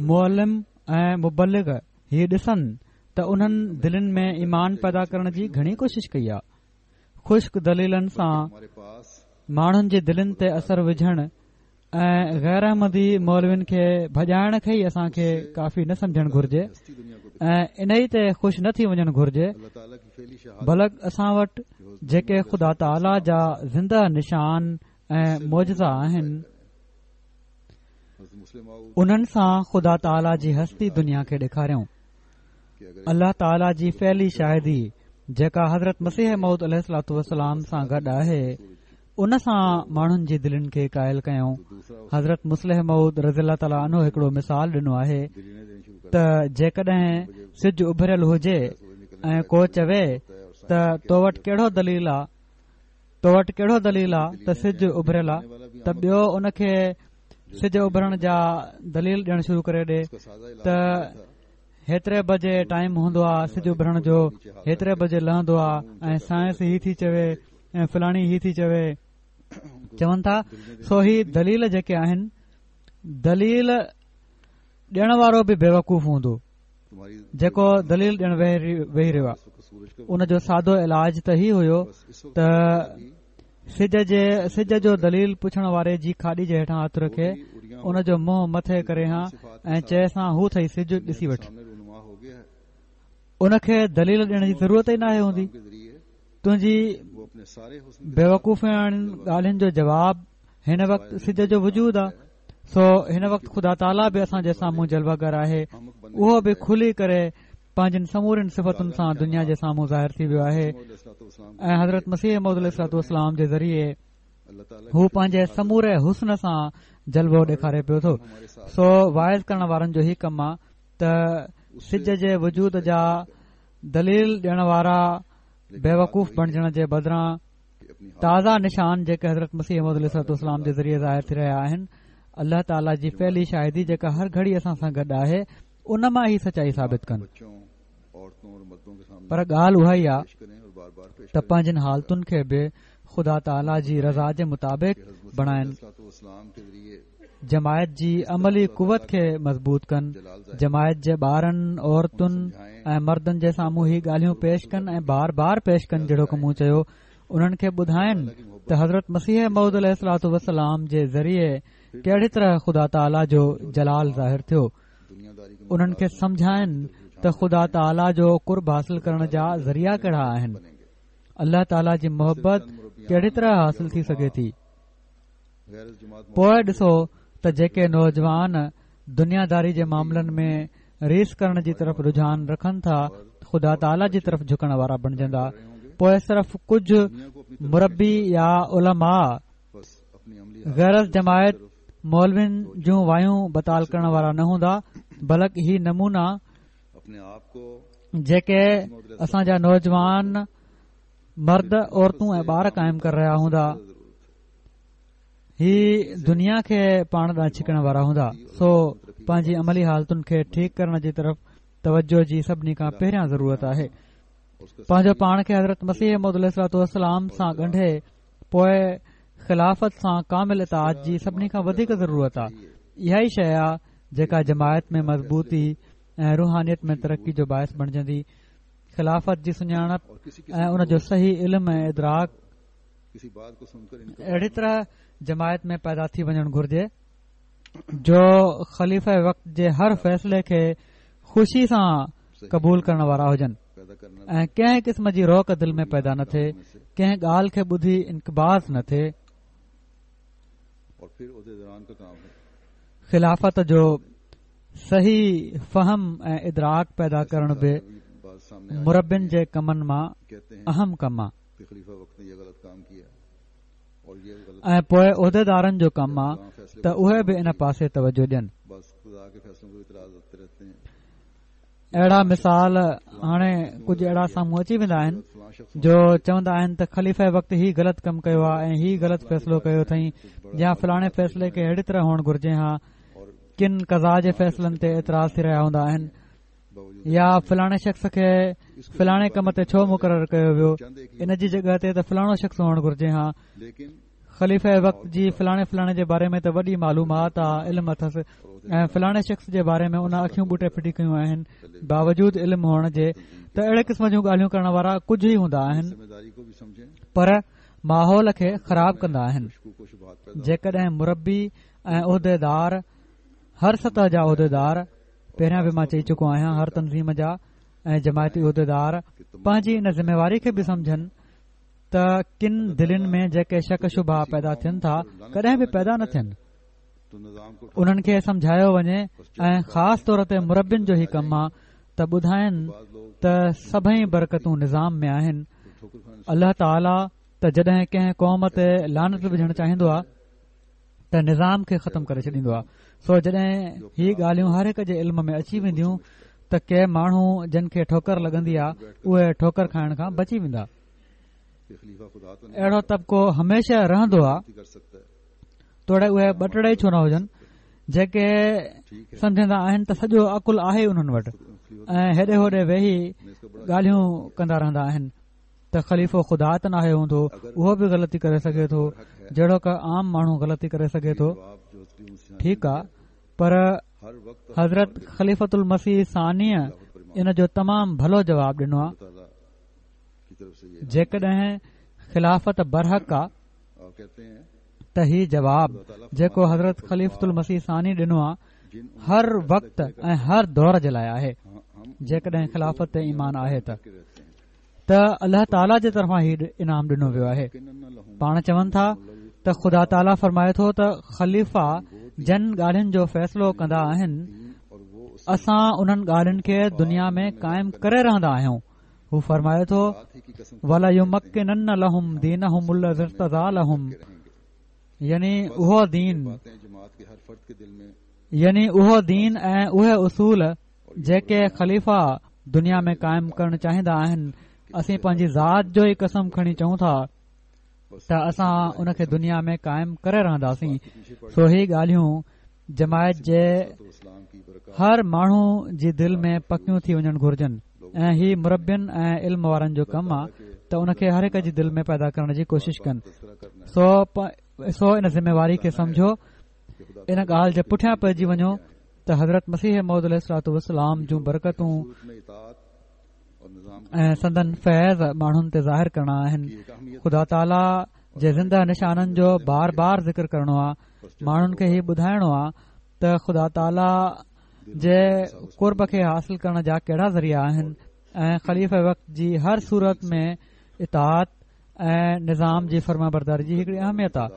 معلم ۽ مبلغ هي ڏسن ته انهن دلين ۾ ايمان پيدا ڪرڻ جي گهڻي ڪوشش ڪئي آهي. خشڪ دليلن سان ماڻهن جي دلين تي اثر وجهڻ ۽ غير احمدي مولوين کي ڀڄائڻ کي ئي اسان کي ڪافي نه سمجهڻ گهرجي ۽ انهي تي خوش نه ٿي وڃڻ گهرجي بلڪ اسان وٽ جيڪي خدا تعاليٰ جا زنده نشان ۽ معجزا آهن انهن سان خدا تعاليٰ جي هستي دنيا کي ڏيکاريون. الله تعاليٰ جي فعلي شاهدي جيڪا حضرت مسيح موعود عليه الصلوٰة والسلام سان گڏ آهي ان سان ماڻهن جي دلين کي قائل ڪيون. حضرت مصلح موعود رضي الله تعاليٰ عنه هڪڙو مثال ڏنو آهي ته جيڪڏهن سج اڀريل هجي ۽ ڪو چوي ته تو وٽ ڪهڙو دليل آ تو وٽ ڪهڙو دليل آ ته سج اڀريل آ ته ٻيو ان کي سج اڀرڻ جا دليل ڏيڻ شروع ڪري ڏي ته هيتري بجي ٽائيم هوندو آ سج اڀرڻ جو هيتري بجي لهندو آ ۽ سائنس هي ٿي چوي ۽ فلاڻي هي ٿي چوي چون ٿا سو هي دليل جيڪي آهن دليل ڏيڻ وارو به بيوقوف هوندو جيڪو دليل ڏيڻ ويهي رهيو آهي ان جو سادو علاج ته هي هيو ته سج جي سج جو دليل پڇڻ واري جي کاڏي جي هيٺان هٿ رکي ان جو منهن مٿي ڪري ها ۽ چئيس ها هو اٿئي سج ڏسي وٺ ان کي دليل ڏيڻ جي ضرورت ئي ناهي هوندي تنهنجي بيوقوفياڻين ڳالهين جو جواب هن وقت سج جو وجود آ سو هن وقت خدا تعاليٰ به اسان جي سامهون جلوه گر آهي اهو به کلي ڪري پنهنجين سمورين صفتن سان دنيا جي سامهون ظاهر ٿي ويو آهي ۽ حضرت مسيح موعود عليه الصلوٰة والسلام جي ذريعي هو پنهنجي سموري حسن سان جلوو ڏيکاري پيو ٿو سو واعظ ڪرڻ وارن جو هي ڪم آ ته سج جي وجود جا دليل ڏيڻ وارا بيوقوف بڻجڻ جي بدران تازا نشان جيڪي حضرت مسيح موعود عليه الصلوٰة والسلام جي ذريعي ظاهر ٿي رهيا آهن الله تعاليٰ جي فعلي شاهدي جيڪا هر گهڙي اسان سان گڏ آهي ان مان هي سچائي ثابت ڪن پر ڳالهه اها ئي آهي ته پنهنجن حالتن کي به خدا تعاليٰ جي رضا جي مطابق بڻائن جماعت جي عملي قوت کي مضبوط ڪن، جماعت جي ٻارن، عورتن ۽ مردن جي سامهون هي ڳالهيون پيش ڪن ۽ بار بار پيش ڪن جهڙوڪ مون چيو انهن کي ٻڌائن ته حضرت مسيح موعود عليه الصلوٰة والسلام جي ذريعي ڪهڙي طرح خدا تعاليٰ جو جلال ظاهر ٿيو انهن کي سمجهائن ته خدا تعاليٰ جو قرب حاصل ڪرڻ جا ذريعا ڪهڙا آهن الله تعاليٰ جي محبت ڪهڙي طرح حاصل ٿي سگهي ٿي پوء ڏسو ته جيڪي نوجوان دنيا داري جي معاملن ۾ ريس ڪرڻ جي طرف رجحان رکن ٿا خدا تعاليٰ جي طرف جهڪڻ وارا بڻجندا پوء صرف ڪجهه مربي يا علماء غير از جماعت مولوين جون وايون بتال ڪرڻ وارا نه هوندا بلڪ هي نمونا جيڪي اسان جا نوجوان مرد عورتون ۽ ٻار قائم ڪري رهيا هوندا هي دنيا کي پاڻ ڏانهن ڇڪڻ وارا هوندا سو پنهنجي عملي حالتن کي ٺيڪ ڪرڻ جي طرف توجه جي سڀني کان پهريان ضرورت آهي پنهنجو پاڻ کي حضرت مسيح موعود عليه الصلوٰة والسلام سان ڳنڍي پوء خلافت سان ڪامل اطاعت جي سڀني کان وڌيڪ ضرورت آهي اها ئي شيء آهي جيڪا جماعت ۾ مضبوطي ۽ روحانيت ۾ ترقي جو باعث بڻجندي خلافت جي سڃاڻپ ۽ ان جو صحيح علم ۽ ادراڪ اهڙي طرح جماعت ۾ پيدا ٿي وڃڻ گهرجي جو خليفه وقت جي هر فيصلي کي خوشي سان قبول ڪرڻ وارا هجن ۽ ڪنهن قسم جي روڪ دل ۾ پيدا نه ٿئي ڪنهن ڳالهه کي ٻڌي انقباض نه ٿئي خلافت جو صحيح فهم ۽ ادراڪ پيدا ڪرڻ به مربين جي ڪمن مان اهم ڪم آهي ۽ پوء عهديدارن جو ڪم آ ته اهي به ان پاسي توجه ڏين. اهڙا مثال هاڻي ڪجهه اهڙا سامهون اچي ويندا آهن جو چوندا آهن ته خليفه وقت هي غلط ڪم ڪيو آ ۽ هي غلط فيصلو ڪيو اٿئي يا فلاڻي فيصلي کي اهڙي طرح هئڻ گهرجي ها ڪن قضا جي فيصلن تي اعتراض ٿي رهيا هوندا آهن يا فلاڻي شخص کي فلاڻي ڪم تي ڇو مقرر ڪيو ويو ان جي جڳهه تي ته فلاڻو شخص هئڻ گهرجي ها خليفه وقت جي فلاڻي فلاڻي جي باري ۾ ته وڏي معلومات آ علم اٿس ۽ فلاڻي شخص جي باري ۾ ان اکيون ٻوٽي ڦٽي ڪيون آهن باوجود علم هئڻ جي ته اهڙي قسم جون ڳالهيون ڪرڻ وارا ڪجهه ئي هوندا آهن پر ماحول کي خراب ڪندا آهن جيڪڏهن مربي ۽ عهديدار هر سطح جا عهديدار پهريان به مان چئي چڪو آهيان هر تنظيم جا ۽ جماعتي عهديدار پنهنجي ان ذميواري کي به سمجهن ته ڪن دلين ۾ جيڪي شڪ شبها پيدا ٿين ٿا ڪڏهن به پيدا نه ٿين انهن کي سمجهايو وڃي ۽ خاص طور تي مربين جو هي ڪم آ ته ٻڌائن ته سڀئي برڪتون نظام ۾ آهن الله تعاليٰ ته جڏهن ڪنهن قوم تي لعنت وجهڻ چاهيندو آ ته نظام کي ختم ڪري ڇڏيندو آهي سو جڏهن هي ڳالهيون هر هڪ جي علم ۾ اچي وينديون ته ڪي ماڻهو جن کي ٺوڪر لڳندي آهي اهي ٺوڪر کائڻ کان بچي ويندا اهڙو طبقو هميشه رهندو آهي توڙي اهي ٻه ٽڙي ڇو نه هجن جيڪي سمجهندا آهن ته سڄو عقل آهي انهن وٽ ۽ هيڏي هوڏي ويهي ڳالهيون ڪندا رهندا آهن ته خليفو خدا ته ناهي هوندو اهو به غلطي ڪري سگهي ٿو جهڙوڪ عام ماڻهو غلطي ڪري سگهي ٿو ٺيڪ آ پر حضرت خليفت المسيح ثانيء ان جو تمام ڀلو جواب ڏنو آ جيڪڏهن خلافت برحق آ ته هي جواب جيڪو حضرت خليفت المسيح ثاني ڏنو آ هر وقت ۽ هر دور جي لاء آهي جيڪڏهن خلافت تي ايمان آهي ته ته الله تعاليٰ جي طرفان هي انعام ڏنو ويو آهي پاڻ چون ٿا ته خدا تعاليٰ فرمائي ٿو ته خليفا جن ڳالهين جو فيصلو ڪندا آهن اسان انهن ڳالهين کي دنيا ۾ قائم ڪري رهندا آهيون هو فرمائي ٿو وليمڪنن لهم دينهم الذي ارتضيٰ لهم يعني اهو دين يعني اهو دين ۽ اهي اصول جيڪي خليفا دنيا ۾ قائم ڪرڻ چاهيندا آهن اسين پنهنجي ذات جو ئي قسم کڻي چئون ٿا ته اسان ان کي دنيا ۾ قائم ڪري رهنداسين سو هي ڳالهيون جماعت جي هر ماڻهو جي دل ۾ پڪيون ٿي وڃڻ گهرجن ۽ هي مربين ۽ علم وارن جو ڪم آهي ته ان کي هر هڪ جي دل ۾ پيدا ڪرڻ جي ڪوشش ڪن سو سو ان ذميواري کي سمجهو ان ڳالهه جي پٺيان پئجي وڃو ته حضرت مسيح موعود عليه الصلوٰة والسلام جون برڪتون ۽ سندن فيض ماڻهن تي ظاهر ڪرڻا آهن خدا تعاليٰ جي زنده نشانن جو بار بار ذڪر ڪرڻو آهي ماڻهن کي هي ٻڌائڻو آهي ته خدا تعاليٰ جي قرب کي حاصل ڪرڻ جا ڪهڙا ذريعا آهن ۽ خليفه وقت جي هر صورت ۾ اطاعت ۽ نظام جي فرمانبرداري جي هڪڙي اهميت آهي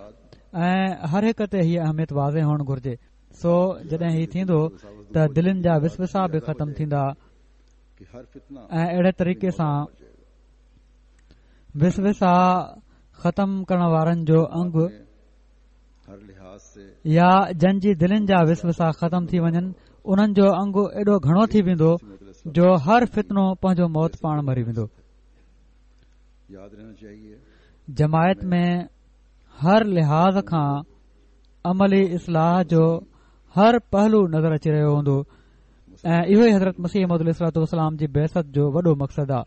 ۽ هر هڪ تي هيء اهميت واضح هئڻ گهرجي سو جڏهن هي ٿيندو ته دلين جا وسوسا به ختم ٿيندا ۽ اهڙي طريقي سان وسوسا ختم ڪرڻ وارن جو انگ يا جن جي دلين جا وسوسا ختم ٿي وڃن انهن جو انگ ايڏو گهڻو ٿي ويندو جو هر فتنو پنهنجو موت پاڻ مري ويندو جماعت ۾ هر لحاظ کان عملي اصلاح جو هر پهلو نظر اچي رهيو هوندو ۽ اهو ئي حضرت مسيح موعود عليه الصلوٰة والسلام جي بعثت جو وڏو مقصد آهي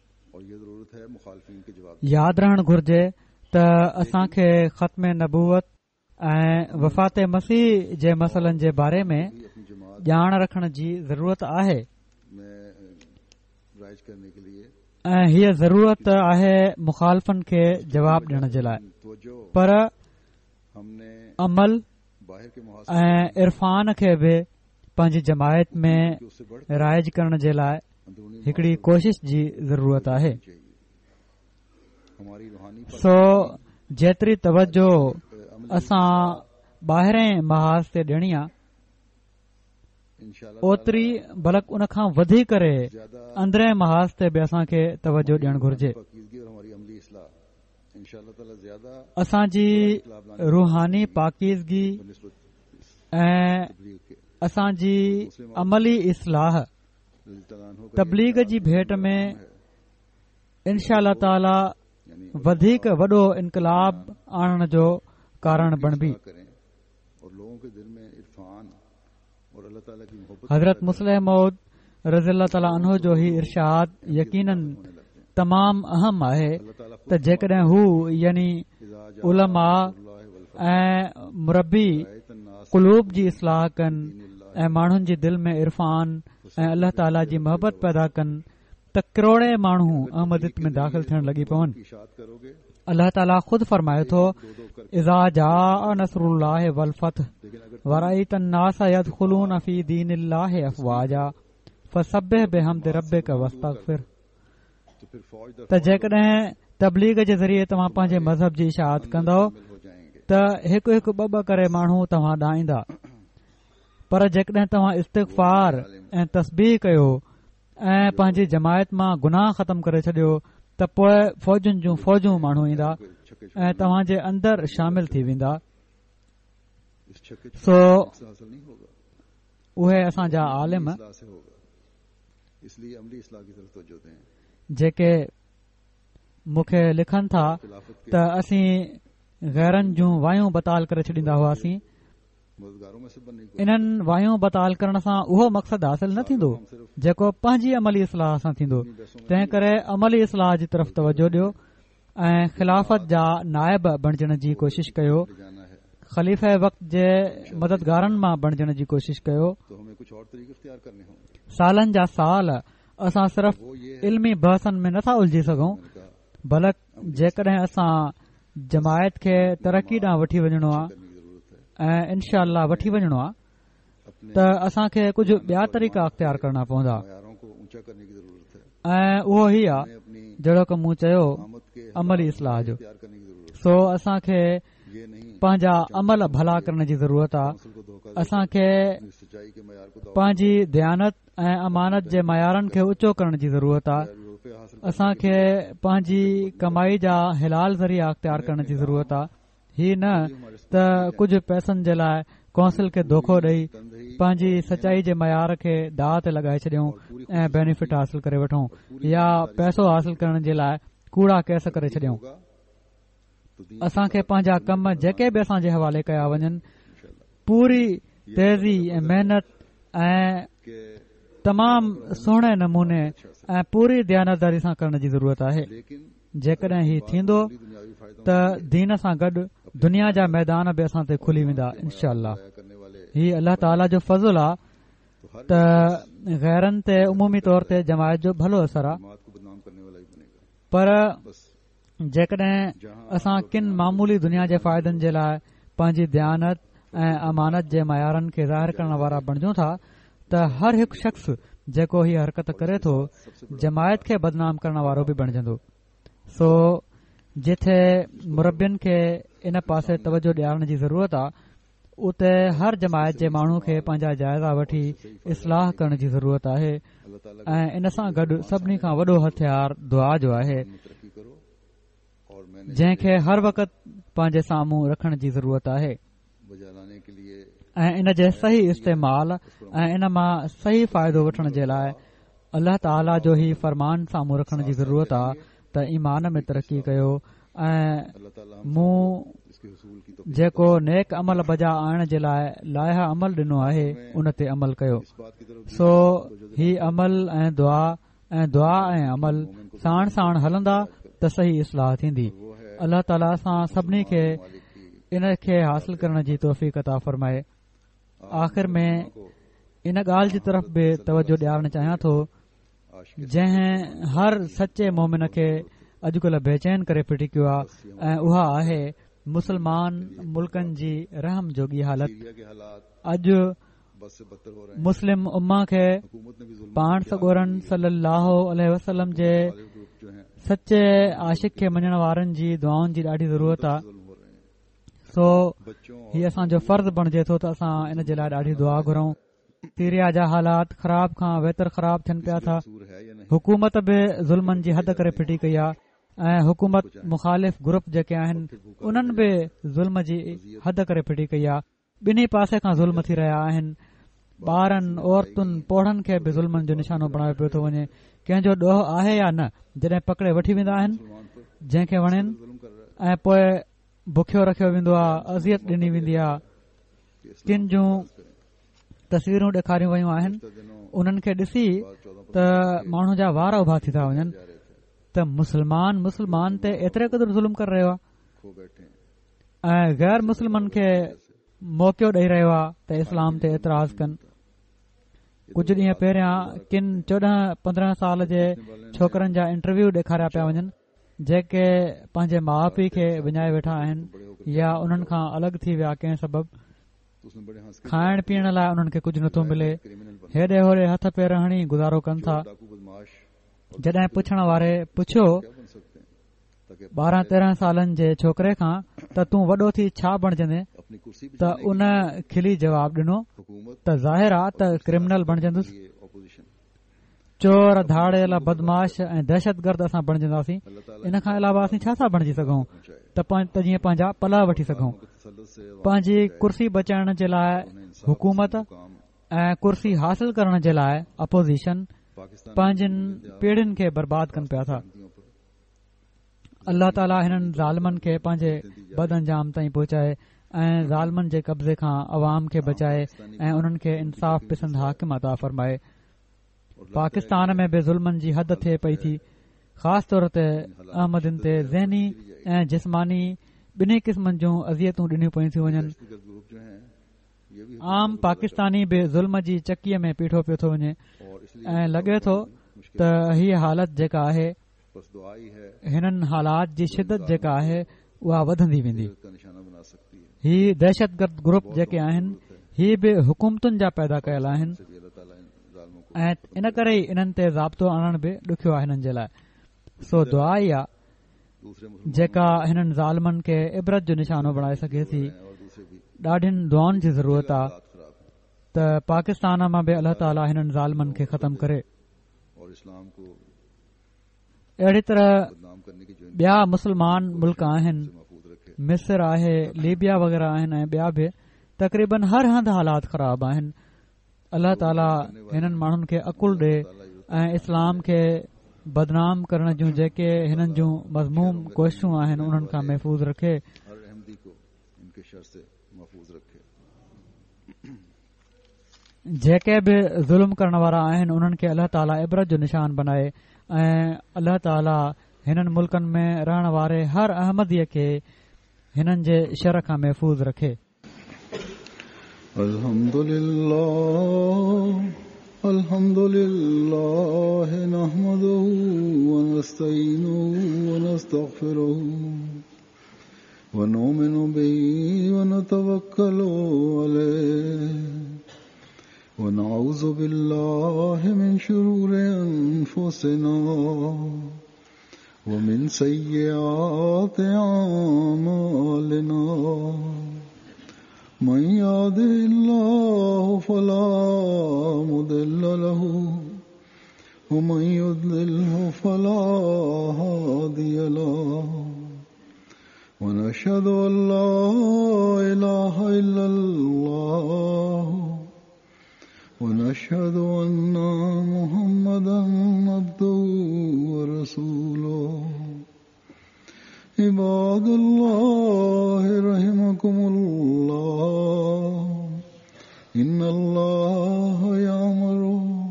ياد رهڻ گهرجي ته اسان کي ختم نبوت ۽ وفات مسيح جي مسئلن جي باري ۾ ڄاڻ رکڻ جي ضرورت آهي ۽ هيء ضرورت آهي مخالفن کي جواب ڏيڻ جي لاء پر عمل ۽ عرفان کي به پنهنجي جماعت ۾ رائج ڪرڻ جي لاء هڪڙي ڪوشش جي ضرورت آهي سو جيتري توجه اسان ٻاهرين محاذ تي ڏيڻي آ اوتري بلڪ ان کان وڌي ڪري اندرين محاذ تي به اسان کي توجه ڏيڻ گهرجي اسان جي روحاني پاڪيزگي ۽ اسان جي عملي اصلاح تبليغ جي ڀيٽ ۾ انشاء الله تعاليٰ وڌيڪ وڏو انقلاب آڻڻ جو ڪارڻ بڻبي. حضرت مصلح موعود رضي الله تعالٰي عنه جو هي ارشاد يقيناً تمام اهم آهي ته جيڪڏهن هو يعني علماء ۽ مربي قلوب جي اصلاح ڪن ۽ ماڻهن جي دل ۾ عرفان ۽ الله تعاليٰ جي محبت پيدا ڪن ته ڪروڙين ماڻهو احمديت ۾ داخل ٿيڻ لڳي پون. الله تعاليٰ خود فرمائي ٿو اذا جاء نصر الله والفتح ورأيت الناس يدخلون في دين الله افواجا فسبح بحمد ربڪ واستغفره ته جيڪڏهن تبليغ جي ذريعي توهان پنهنجي مذهب جي اشاعت ڪندؤ ته هڪ هڪ ٻه ٻه ڪري ماڻهو توهان ڏانهن ايندا پر جيڪڏهن توهان استغفار ۽ تسبيح ڪيو ۽ پنهنجي جماعت مان گناهه ختم ڪري ڇڏيو ته پوء فوجن جون فوجون ماڻهو ايندا ۽ توهان جي اندر شامل ٿي ويندا. سو اهي اسان جا عالم جيڪي مون کي لکن ٿا ته اسين غيرن جون وايون بتال ڪري ڇڏيندا هئاسين انهن وايون بتال ڪرڻ سان اهو مقصد حاصل نه ٿيندو جيڪو پنهنجي عملي اصلاح سان ٿيندو تنهن ڪري عملي اصلاح جي طرف توجه ڏيو ۽ خلافت جا نائب بڻجڻ جي ڪوشش ڪيو خليفه وقت جي مددگارن مان بڻجڻ جي ڪوشش ڪيو سالن جا سال اسان صرف علمي بحثن ۾ نٿا الجهي سگهون بلڪ جيڪڏهن اسان جماعت کي ترقي ڏانهن وٺي وڃڻو آهي ۽ انشاء الله وٺي وڃڻو آهي ته اسان کي ڪجهه ٻيا طريقا اختيار ڪرڻا پوندا ۽ اهو هي آ جهڙوڪ مون چيو عملي اصلاح جو سو اسان کي پنهنجا عمل ڀلا ڪرڻ جي ضرورت آ اسان کي پنهنجي ديانت ۽ امانت جي معيارن کي اوچو ڪرڻ جي ضرورت آهي اسان کي پنهنجي ڪمائي جا حلال ذريعا اختيار ڪرڻ جي ضرورت آهي هي نه ته ڪجهه پئسن جي لاء ڪونسل کي دوکو ڏئي پنهنجي سچائي جي معيار کي داء تي لڳائي ڇڏيون ۽ بينيفٽ حاصل ڪري وٺون يا پئسو حاصل ڪرڻ جي لاء ڪوڙا ڪيس ڪري ڇڏيون اسان کي پنهنجا ڪم جيڪي به اسان جي حوالي ڪيا وڃن پوري تيزي ۽ محنت ۽ تمام سهڻي نموني ۽ پوري ديانتداري سان ڪرڻ جي ضرورت آهي جيڪڏهن هي ٿيندو ته دين سان گڏ دنيا جا ميدان به اسان تي کلي ويندا انشاء الله هي الله تعاليٰ جو فضل آ ته غيرن تي عمومي طور تي جماعت جو ڀلو اثر آ پر جيڪڏهن اسان ڪن معمولي دنيا جي فائدن جي لاء پنهنجي ديانت ۽ امانت جي معيارن کي ظاهر ڪرڻ وارا بڻجون ٿا ته هر هڪ شخص جيڪو هي حرڪت ڪري ٿو جماعت کي بدنام ڪرڻ وارو به بڻجندو سو جتي مربين کي ان پاسي توجه ڏيارڻ جي ضرورت آ اتي هر جماعت جي ماڻهو کي پنهنجا جائزا وٺي اصلاح ڪرڻ جي ضرورت آهي ۽ ان سان گڏ سڀني کان وڏو هٿيار دعا جو آهي جنهن کي هر وقت پنهنجي سامهون رکڻ جي ضرورت آهي ۽ ان جي صحيح استعمال ۽ ان مان صحيح فائدو وٺڻ جي لاء الله تعاليٰ جو هي فرمان سامهون رکڻ جي ضرورت آ ته ايمان ۾ ترقي ڪيو ۽ مون جيڪو نيڪ عمل بجا آڻڻ جي لاء لائحه عمل ڏنو آهي ان تي عمل ڪيو سو هي عمل ۽ دعا ۽ دعا ۽ عمل ساڻ ساڻ هلندا ته صحيح اصلاح ٿيندي الله تعاليٰ اسان سڀني کي ان کي حاصل ڪرڻ جي توفيق عطا فرمائي آخر ۾ ان ڳالهه جي طرف به توجه ڏيارڻ چاهيان ٿو جنهن هر سچي مومن کي اڄڪلهه بيچين ڪري ڦٽي ڪيو آهي ۽ اها آهي مسلمان ملڪن جي رحم جوڳي حالت اڄ مسلم امه کي پاڻ سڳورن صلي الله عليه وسلم جي سچي عاشق کي مڃڻ وارن جي دعائن جي ڏاڍي ضرورت آهي سو هي اسان جو فرض بڻجي ٿو ته اسان ان جي لاء ڏاڍي دعا گهرون. سيريا جا حالات خراب کان ويتر خراب ٿين پيا ٿا. حڪومت به ظلمن جي حد ڪري ڦٽي ڪئي آهي ۽ حڪومت مخالف گروپ جيڪي آهن انهن به ظلم جي حد ڪري ڦٽي ڪئي آهي. ٻنهي پاسي کان ظلم ٿي رهيا آهن. ٻارن، عورتن، پوڙهن کي به ظلمن جو نشانو بڻايو پيو ٿو وڃي. ڪنهن جو ڏوهه آهي يا نه جڏهن پڪڙي وٺي ويندا آهن جنهن کي وڻين ۽ پوء بکيو رکيو ويندو آهي اذيت ڏني ويندي آهي ڪن جون تصويرون ڏيکاريون ويون آهن انهن کي ڏسي ته ماڻهو جا وار اڀا ٿي ٿا وڃن ته مسلمان مسلمان تي ايتري قدر ظلم ڪري رهيو آهي ۽ غير مسلمن کي موقعو ڏئي رهيو آهي ته اسلام تي اعتراض ڪن. ڪجهه ڏينهن پهريان ڪن 14 15 سال جي ڇوڪرن جا انٽرويو ڏيکاريا پيا وڃن جيڪي پنهنجي ماء پيء کي وڃائي ويٺا آهن يا انهن کان الڳ ٿي ويا ڪنهن سبب کائڻ پيئڻ لاء انهن کي ڪجهه نٿو ملي هيڏي هوڏي هٿ پير هڻي گذارو ڪن ٿا جڏهن پڇڻ واري پڇيو 12 13 سالن جي ڇوڪري کان ته تون وڏو ٿي ڇا بڻجندين ته ان کلي جواب ڏنو ته ظاهر آ ته ڪرمنل بڻجندس چور ڌاڙيل بدمعاش ۽ دهشتگرد اسان بڻجنداسين ان کان علاوه اسين ڇا ٿا بڻجي سگهون ته جيئن پنهنجا پلئه وٺي سگهون پنهنجي ڪرسي بچائڻ جي لاء حڪومت ۽ ڪرسي حاصل ڪرڻ جي لاء اپوزيشن پنهنجين پيڙهين کي برباد ڪن پيا ٿا الله تعاليٰ هنن ظالمن کي پنهنجي بد انجام تائين پهچائي ۽ ظالمن جي قبضي کان عوام کي بچائي ۽ انهن کي انصاف پسند حاڪم عطا فرمائي پاڪستان ۾ به ظلمن جي حد ٿئي پئي ٿي خاص طور تي احمدين تي ذهني ۽ جسماني ٻنهي قسمن جون اذيتون ڏنيون پيون ٿيون وڃن عام پاڪستاني به ظلم جي چڪيء ۾ پيٺو پيو ٿو وڃي ۽ لڳي ٿو ته هيء حالت جيڪا آهي هنن حالات جي شدت جيڪا آهي اها وڌندي ويندي هي دهشتگرد گروپ جيڪي آهن هي به حڪومتن جا پيدا ڪيل آهن ۽ ان ڪري ئي انهن تي ضابطو آڻڻ به ڏکيو آهي هنن جي لاء سو دعا ئي آ جيڪا هنن ظالمن کي عبرت جو نشانو بڻائي سگهي ٿي ڏاڍين دعائن جي ضرورت آ ته پاڪستان مان به الله تعالي هنن ظالمن کي ختم ڪري اهڙي طرح ٻيا مسلمان ملڪ آهن مصر آهي ليبيا وغيره آهن ۽ ٻيا به تقريبن هر هنڌ حالات خراب آهن الله تعالي هنن ماڻهن کي عقل ڏي ۽ اسلام کي بدنام ڪرڻ جون جيڪي هنن جون مذموم ڪوششون آهن انهن کان محفوظ رکي. جيڪي به ظلم ڪرڻ وارا آهن انهن کي الله تعالي عبرت جو نشان بنائي ۽ الله تعالي هنن ملڪن ۾ رهڻ واري هر احمديء کي هنن جي شر کان محفوظ رکي. الحمد لله الحمد لله نحمده ونستعينه ونستغفره ونؤمن به ونتوكل عليه ونعوذ بالله من شرور أنفسنا ومن سيئات أعمالنا من يهده الله فلا مضل له ومن يضلله فلا هادي له ونشهد أن لا إله إلا الله ونشهد أن محمدا عبده ورسوله عباد الله رحمكم الله إن الله يأمر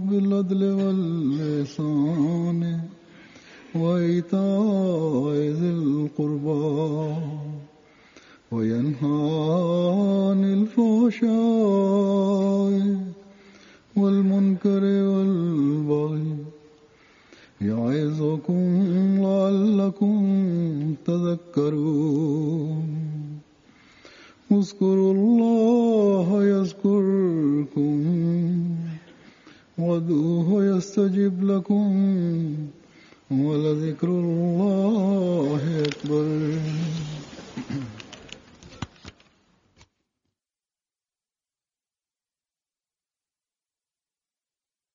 بالعدل والإحسان وإيتاء ذي القربى وينهى عن الفحشاء والمنكر والبغي يعظكم لعلكم تذكرون اذكروا الله يذكركم.